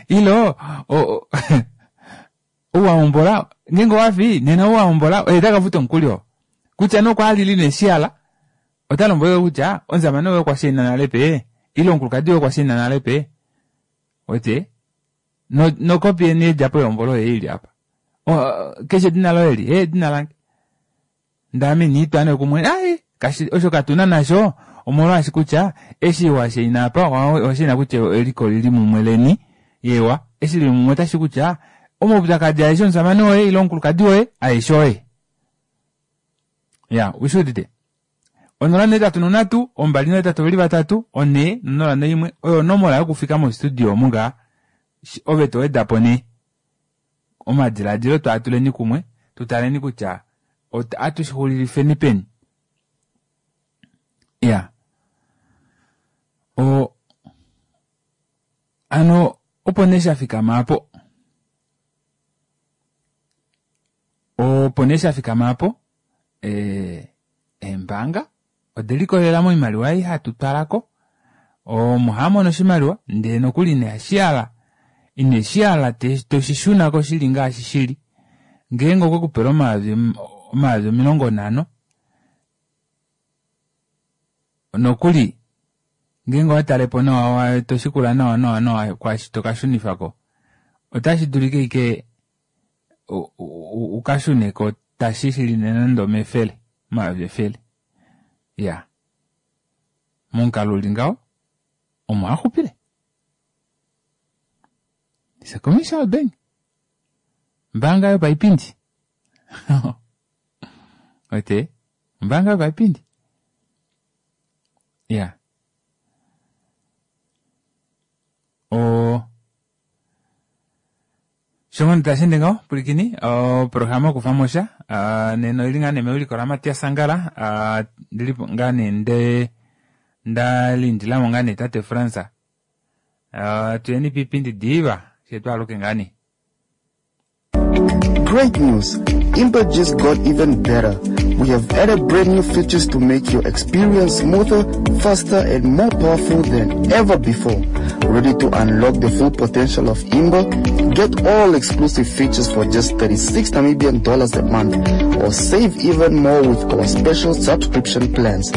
ile ou wahombola ngeenge owafi nena ou wahombola oye takafuta omukuli oo kutya nee okwalili neshiala ota lombwele kutya omushamane woye okwa shaina nale pee ile omukulukadi woye okwa shaina nale pee uwete nokopi yeni yedjapo yehombolo oyo ili apa keshe edina loye eli ee edina lange ndee ame iniitwa nee kumwe ai osho katuna nasho omolwaashi kutya eshi washaina apa owashaina kutya eliko olili mumwe leni Yewa, eshi lili mumwe otashi kutya omaupyakadi aeshe omusamane woye ile omukulukadi woye aeshe oye. Ya, ushi udite? Onola nohetatu nonhatu, ombali nohetatu oveli vatatu, onhee nonola noimwe, oyo onomola yokufika mostudio omu ngaa. Ove towedapo nee omadilaadilo twaatuleni kumwe, tutaleni kutya atushixulilifeni peni. Ya. O hano opo nee shafikama aapo. Opo nee shafikama aapo ee eembaanga ode likolelela moimaliwa ei hatu twalako omo hamono oshimaliwa ndee nokuli inashihala ineshihala toshishunako shili ngaashi shili ngeenge okwekupele omayovi omayovi omilongo nhano nokuli ngeenge owatalepo nawa toshikula nawa nawa nawa kwaashi tokashunifako otashi dulika ashike ukashuneko tashi shili nande omefele omayovi efele ya momukalo uli ngaho omo axupile. It's a commercial bank. Ombaanga yopaipindi. Wete? Ombaanga yopaipindi. Ya. O sho tashi ende ngaho pwilikini oprograma yokufamo sha nena oili ngaa nee mewiliko laMatias Angala ndilipo ngaa nee nde ndalindilamo ngaa nee tate Frans tuyeni piipindi diva fye twaaluke ngaa nee.
Great news! Imba just got even better. We have added brand new features to make your experience smoother, faster, and more powerful than ever before. Ready to unlock the full potential of Imba? Get all exclusive features for just thirty-six Namibian dollars a month, or save even more with our special subscription plans.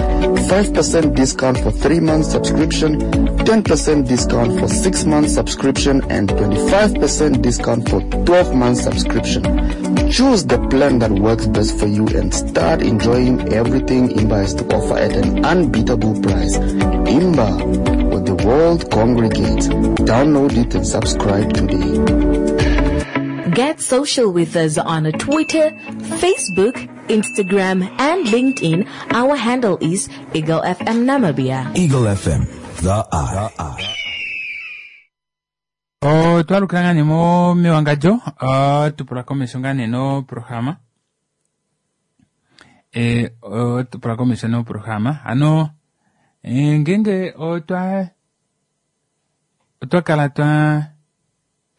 five percent discount for three month subscription, ten percent discount for six month subscription, and twenty-five percent discount for twelve month subscription. Choose the plan that works best for you and start enjoying everything Imba has to offer at an unbeatable price. Imba, where the world congregates. Download it and subscribe today.
Get social with us on Twitter, Facebook, Instagram, and LinkedIn. Our handle is Eagle F M Namibia.
Eagle F M, the eye.
Otwalukila ngaa nee mo mewangadjo, tupula komesho ngaa nee noprograma. E, tupula komesho noprograma. Hano, ngeenge otwa otwa kala twa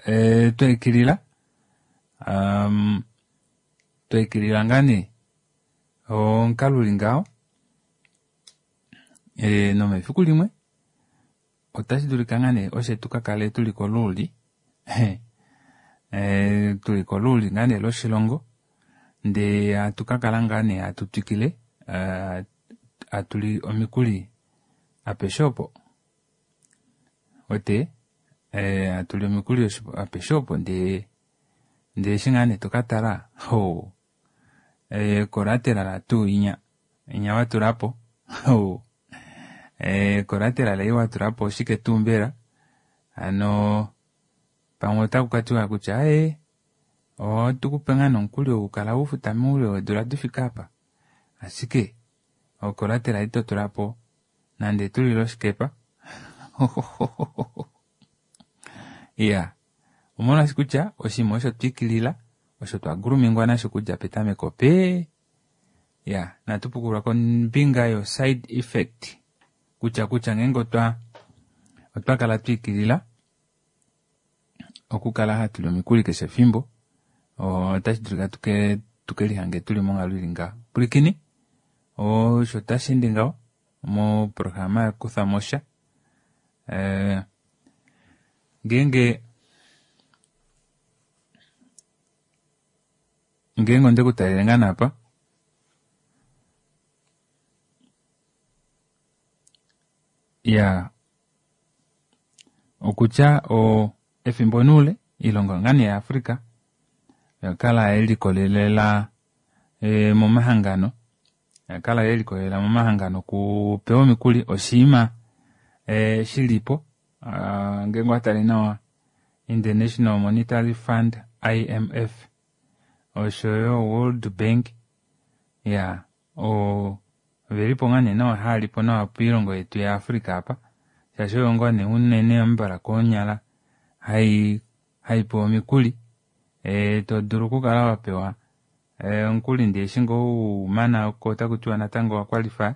e, twaikilila um, twaikilila ngaa nee omukalo uli ngaho e, nomefiku limwe otashi dulika ngaa nee oshe tukakale tuli koluuli e, tuli koluuli ngaa nee loshilongo ndee hatukakala ngaa nee hatu twikile hatuli omikuli apeshe opo wete hatuli omikuli apeshe opo ndee ndee eshi ngaa nee tokatala ho e, collateral tuu inya inya watulapo ho e, collateral ei watulapo oshike tuu mbela hano pamwe otaku katiwa kutya aye otukupe ngaa nomukuli wokukala ufuta moule weedula difika apa ashike ocollateral ito tulapo nande tulile oshikepa iya omolwaashi kutya oshinima osho twikilila osho twagulumingwa nasho kudja petameko pe ya natupukulwa kombinga yo side effect kutya kutya ngeenge otwa otwakala twikilila okukala hatuli omikuli keshe efimbo otashi dulika tuke tukelihange tuli monghalo ili ngaho. Pwilikini osho tashi ende ngaho moprograma yakuthamo sha eh, ngeenge ngeenge onde kutalele ngaa naapa ya okutya o efimbo nuule ilongo ngaa nee yaAfrica yakala yelikolelela e, momahangano yakala yelikolelela momahangano kupewa omikuli oshiima e, shilipo ngeenge watale nawa International Monetary Fund I M F oshoyo World Bank ya o velipo nga nee nawa haalipo nawa poilongo yetu ya Africa apa shaashi oyo ngoo nee unene ambala koonyala hai haipewa omikuli e to dulu okukala wapewa omukuli ndee eshi ngoo umana oko otaku tiwa natango wa qualify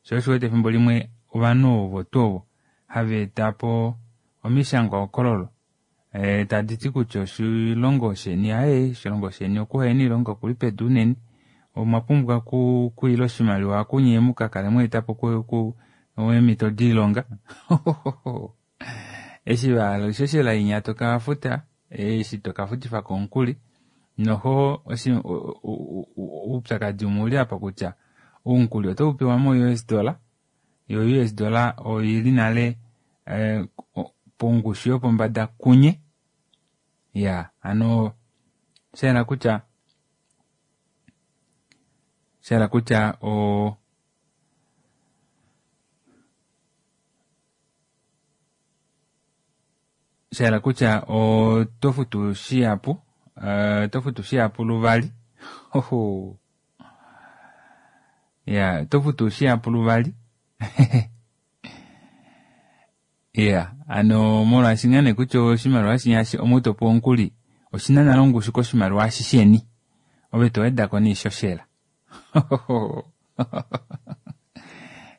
sho osho wete efimbo limwe ovanhu ovo tuu ovo hava eta po omishangwa hokololo e tadi ti kutya oshilongo sheni aye oshilongo sheni okuhena oilonga okuli pedu unene omwa pumbwa kuila oshimaliwa kunye mukakale mweeta po eemhito doilonga eshi vahala oishoshela inya tokafuta eshi tokafutifako omukuli noho oupyakadi umwe uli apa kutya omukuli otau pewa mo U S dollar yo U S dollar oili nale pongushu yopombada kunye ya ano shayela kutya shayela kutya o shayela kutya oto futu shihapu oto futu shihapu luvali oho ya oto futu shihapu luvali ya ano molwaashi ngaa nee kutya oshimaliwa shinya omutopo omukuli oshina nale ongushu koshimaliwa shisheni ove to wedako neishoshela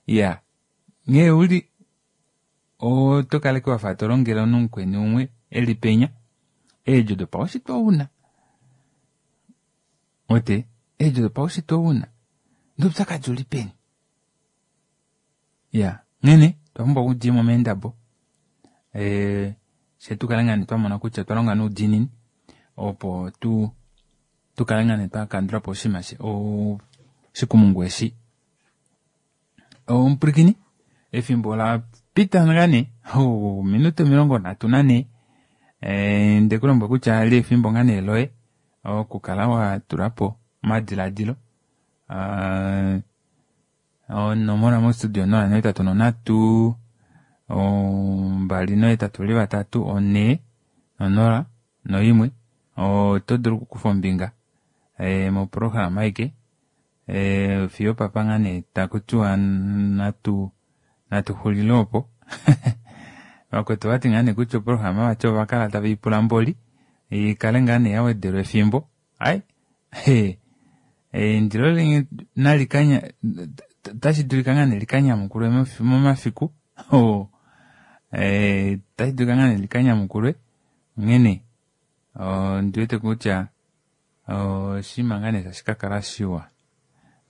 ya nghee uli oto kaleke wafa to longele omunhu mukweni umwe eli penya eedjo dopaushitwe ouna ote eedjo dopaushitwe ouna noupyakadi uli peni ya nghene twapumbwa okudimo meendabo ee shetukale ngaa nee twamona kutya twalonga noudiinini opo tu tukale ngaa nee twakandula po oshinima oshikumungu eshi omupulikini efimbo la pita ngaa nee minute omilongo nhatu nanhee ndekulombwela kutya li efimbo ngaa nee loye okukala watulapo omadiladilo onomola mostudio nola nohetatu nonhatu mbali nohetatu li vatatu onhee nonola noimwe oto dulu okukufa ombinga moprograma aike fiyo papa ngaa nee takutiwa natu natu xulile opo vakwetu vati ngaa nee kutya oprograma vati ovakala tave ipula mboli ikale ngaa nee yawedelwa efimbo ai eindilo nalikanya tashi dulika ngaa nee likanyamukulwe momafiku tashi dulika ngaa nee likanyamukulwe onghene ondiwete kutya oshinima ngaa nee tashi kakala shiwa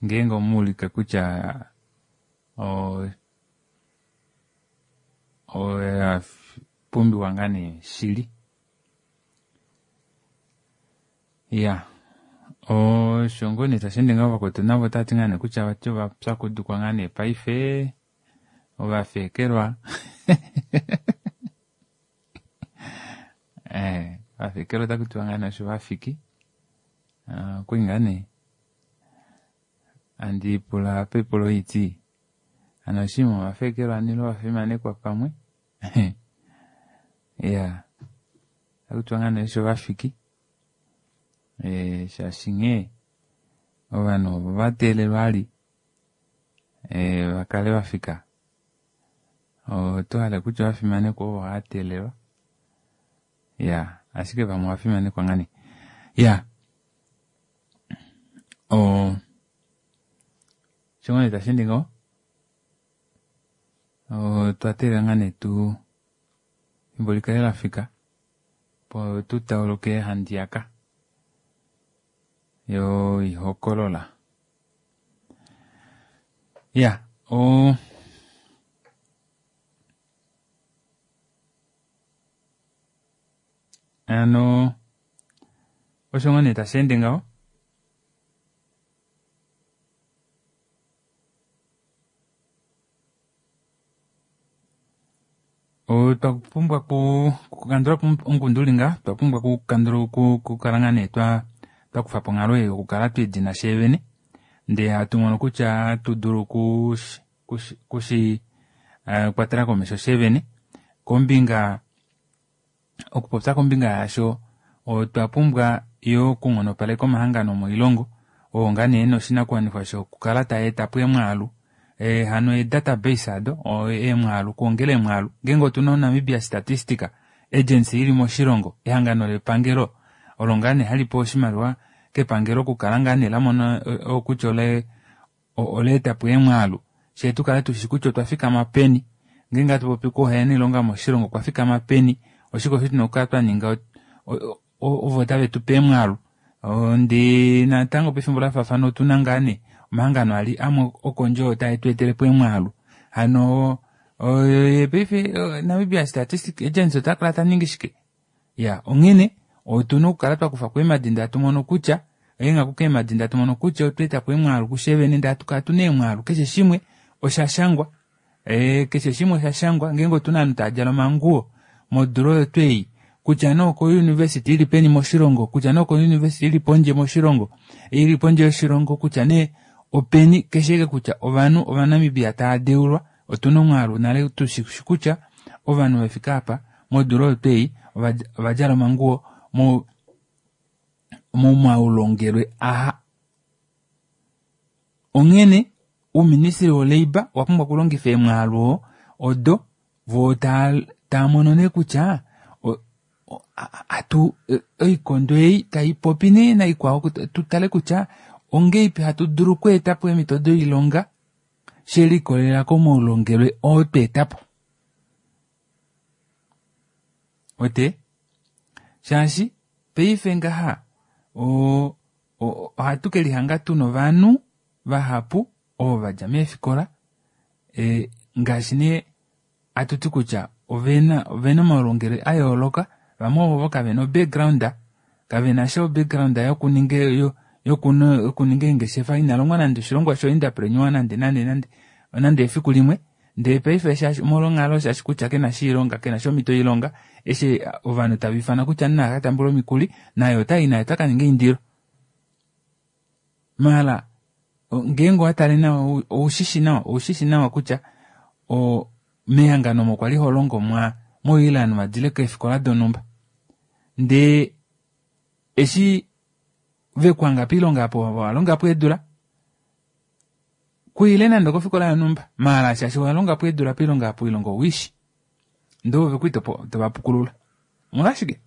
ngeenge omuulike kutya oya pumbiwa ngaa nee shili ya osho ngoo nee tashi ende ngaho vakwetu navo otavati ngaa nee kutya vati ovapyakudukwa ngaa nee paife ovafekelwa eh ovafekelwa otakutiwa ngaa nee osho vafiki okwali ngaa nee andi pula pepulo iti ano oshinima ovafekelwa nilo ovafimanekwa pamwe ya otakutiwa ngaa nee osho vafiki eh shaashi nghee ovanhu ovo vateelelwa ali eh vakale vafika oto hala kutya ovafimanekwa ovo hateelelwa ya ashike vamwe ovafimanekwa ngaa nee ya o shongone tashi ende ngaho otwa teelela ngaa nee tu efimbo likale lafika po tu tauluke handiyaka yo ihokolola ya o ano osho ngoo nee tashi ende ngaho otwa pumbwa kukandula po omukundu nga twa pumbwa kukandula kukala ngaa nee twa twakufa po onghalo yokukala twedina sheevene ndee hatu mono kutya hatu dulu kushi kwatela komesho sheevene kombinga Okupopya kombinga yaasho otwa pumbwa yo okunghonopaleka omahangano moilongo oo ngaa nee ena oshinakuwanifwa shokukala taeta po emwaalu e, hano edatabase ado eemwaalu okuongela eemwaalu ngeenge otuna Namibia Statistica Agency ili moshilongo ehangano lepangelo olo ngaa nee hali pewa oshimaliwa kepangelo okukala ngaa nee lamona kutya ole oleeta po eemwaalu shee tukale tushi kutya otwa fikama peni ngeenge hatu popi kuhena oilonga moshilongo okwa fikama peni oshike osho tuna okukala twa ninga ovo tave tupe eemwaalu ndee natango pefimbo lafaafana otuna ngaa nee omahangano ali amwe okondje oo tae tu etele po eemwaalu hano paife Namibia Statistic Agency ota kala taningi shike ya onghene otuna okukala twakufa ko eemadi ndee hatu mono kutya eenghaku keemadi ndee hatu mono kutya otwa eta po eemwaalu kushe ndee hatu kala tuna eemwaalu keshe shimwe osha shangwa e, keshe shimwe osha shangwa ngeenge otuna ovanhu tava djala omanguwo modula oyo twei kutya nee oko university ili peni moshilongo kutya nee oko university ili pondje moshilongo ili pondje yoshilongo kutya nee openi keshe eke kutya ovanhu ovanamibia tava deulwa otuna omwaalu nale tushi kutya ovanhu vefika apa modula oyo twei ovadjala omanguwo mo momaulongelwe aha onghene uuministry wo labour owa pumbwa okulongifa eemwaalu odo voo taa mono nee kutya atu oikondo ei taipopi nee naikwao tutale kutya ongeipi hatu dulu okweeta po eemhito doilonga shelikolelela komaulongelwe oo tweetapo ote shaashi paife ngaha ohatu kelihanga tuna ovanhu vahapu ovo vadja meefikola e, ngaashi nee atuti kutya ovena ovena omaulongelwe a yooloka vamwe ovo kavena o-background kavena sha o-background yokuninga yokuninga eengeshefa inalongwa nande oshilongwa sho-entrepreneur nande nande nande nande efiku limwe ndee paife shaashi molwonghalo shaashi kutya kena sha oilonga kena sha omhito yoilonga eshi ovanhu tava ifana kutya naa katambule omikuli naye otai naye ota kaninga eindilo maala ngeenge owatale nawa oushishi nawa oushishi nawa kutya o mehangano omo kwali holongo mwa moile ovanhu vadile keefikola donhumba ndee eshi vekuhanga poilonga apo walongapo eedula kuile nande okofikola yonhumba maala shaashi walongapo eedula poilonga apo oilonga owishi ndee ove kwii tovapukulula omolwashike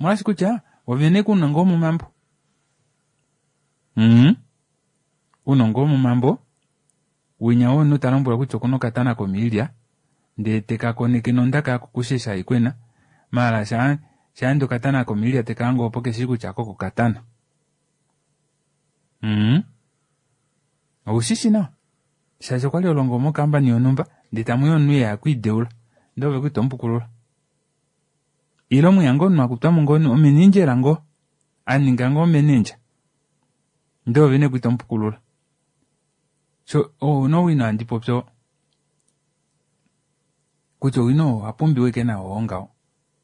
omolwashi kutya ovene ounongo womomambo mm ounongo womomambo winya womunhu talombwelwa kutya okuna okatana komiilya ndee tekakoneke nondaka yakukushesha haikwena maala sha shaande okatana komiilya tekahange opo keshi kutya koko katana mm oushishi nawa shaashi okwali holongo mokambani yonhumba ndee tamuya omunhu eya okwiideula ndee ove kwii tomupukulula ile mweya ngoo omunhu akutwamo ngoo omenindjela ngoo aninga ngoo manager ndee ove nee kwii tomupukulula so ouna owino handi popi oo kutya owino owa pumbiwa ike nawo oo ngaho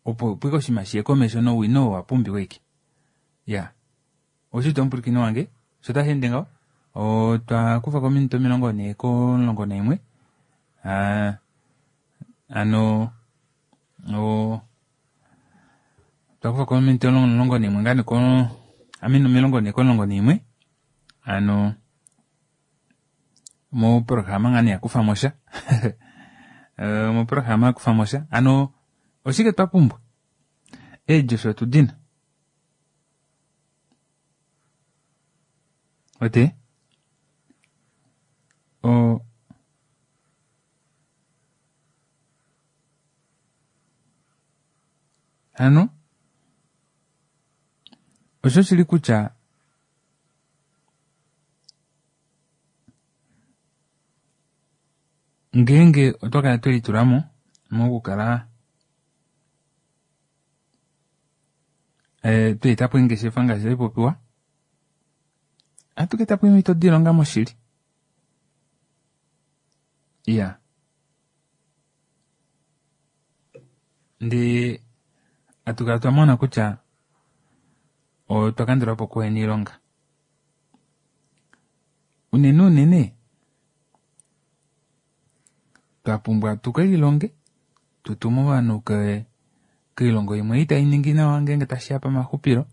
opo opo ike oshinima shiye komesho nowino owa pumbiwa ike ya oshiti omupwilikini wange sho tashi ende ngaho otwa kufa ko ominute omilongo nhee komulongo naimwe hano o otwa kufa ko ominute omulongo naimwe ngaa nee ko amini omilongo nhee komulongo naimwe hano moprograma ngaa nee yakufamo sha moprograma yakufamo sha hano oshike twa pumbwa eedjo osho otudina ote o hano osho shili kutya ngeenge otwa kala twelitulamo mokukala e, tweetapo eengeshefa ngaashi taipopiwa ohatu kaetapo eemhito doilonga moshili iya ndee hatu kala twamona kutya otwa kandulapo okuhena oilonga unene unene twa pumbwa tukelilonge tutume ovanhu ke Koilongo imwe itai ningi nawa ngeenge tashiya pamaxupilo,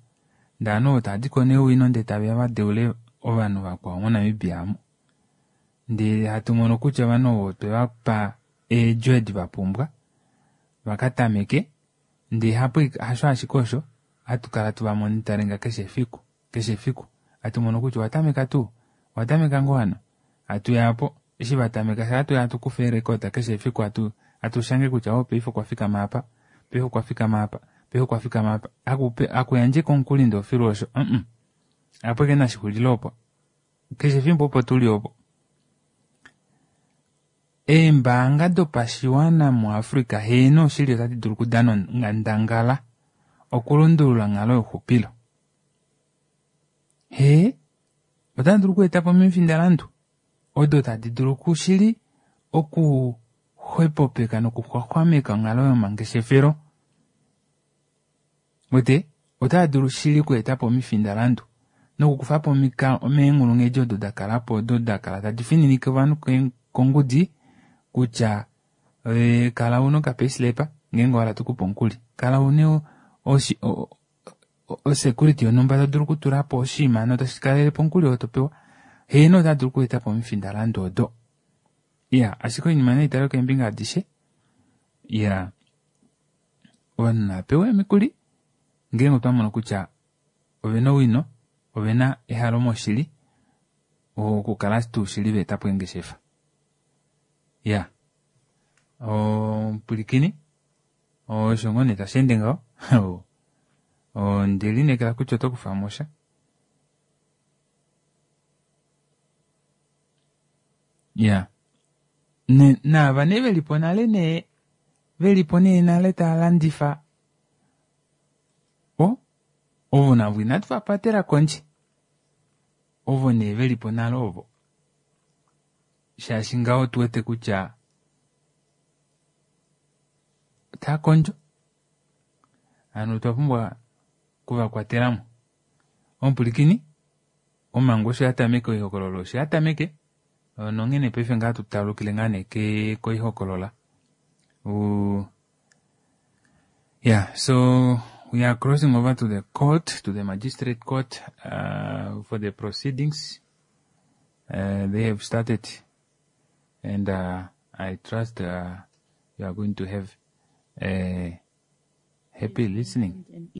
ndee ovanhu ovo tavadiko neewino ndee taveya vadeule ovanhu vakwao moNamibia amu. Ndee hatu mono kutya ovanhu ovo otwe vapa eedjo edi vapumbwa vakatameke, ndee hapo hasho ashike osho hatu kala tuva monitoringa keshe efiku keshe efiku hatu mono kutya owatameka tuu, owatameka ngoo hano, hatuya po eshi vatameka sha hatuya hatukufa eerecord keshe efiku hatu hatu shange kutya oh paife okwa fikama apa, paife okwa fikama apa, paife okwa fikama apa, hakupe hakuyandjeka omukuli ndee ofilu osho mm apo eke nashixulile opo keshe efimbo opo tuli opo. Eembaanga dopashiwana muAfrica heeno oshili otadi dulu okudana onghandangala okulundulula onghalo youxupilo. Hee, otadi dulu okweetapo omifindalandu odo tadi dulu kushili okuxwepopeka nokuxwaxwameka onghalo yomangeshefelo. Wete otava dulu shili okweetapo omifindalandu nokukufapo omeenghulunghedi odo dakalapo odo dakala tadi fininike ovanhu kongudi kutya kala una okapayslip ngeenge owahala tukupe omukuli, kala una osecurity yonhumba todulu okutulapo oshinima notashi kalelepo omukuli oo topewa. Heeno otava dulu okweetapo omifindalandu odo. Iya, ashike oinima naitalwe keembinga adishe. Iya, ovanhu navapewe omikuli ngeenge otwa mono kutya ovena owino, ovena ehalo moshili okukala tuu shili vaetapo eengeshefa. Iya, omupwilikini osho ngoo nee tasheende ngaho. Ondelineekela kutya oto kufamo sha. Iya, naava nee velipo nale nee velipo nee nale taalandifa o ovo navo inatu vapatela kondje, ovo nee velipo nale ovo, shaashi ngaho otuwete kutya otaa kondjo, hano otwa pumbwa okuvakwatelamo. Omupwilikini, omhangu osho yatameke oihokololo osho yatameke nonghene paife ngaa tutalukile ngaa nee koihokolola. Yeah, so we are crossing over to the court, to the magistrate court uh, for the proceedings. Uh, they have started, and uh, I trust uh, you are going to have a happy listening.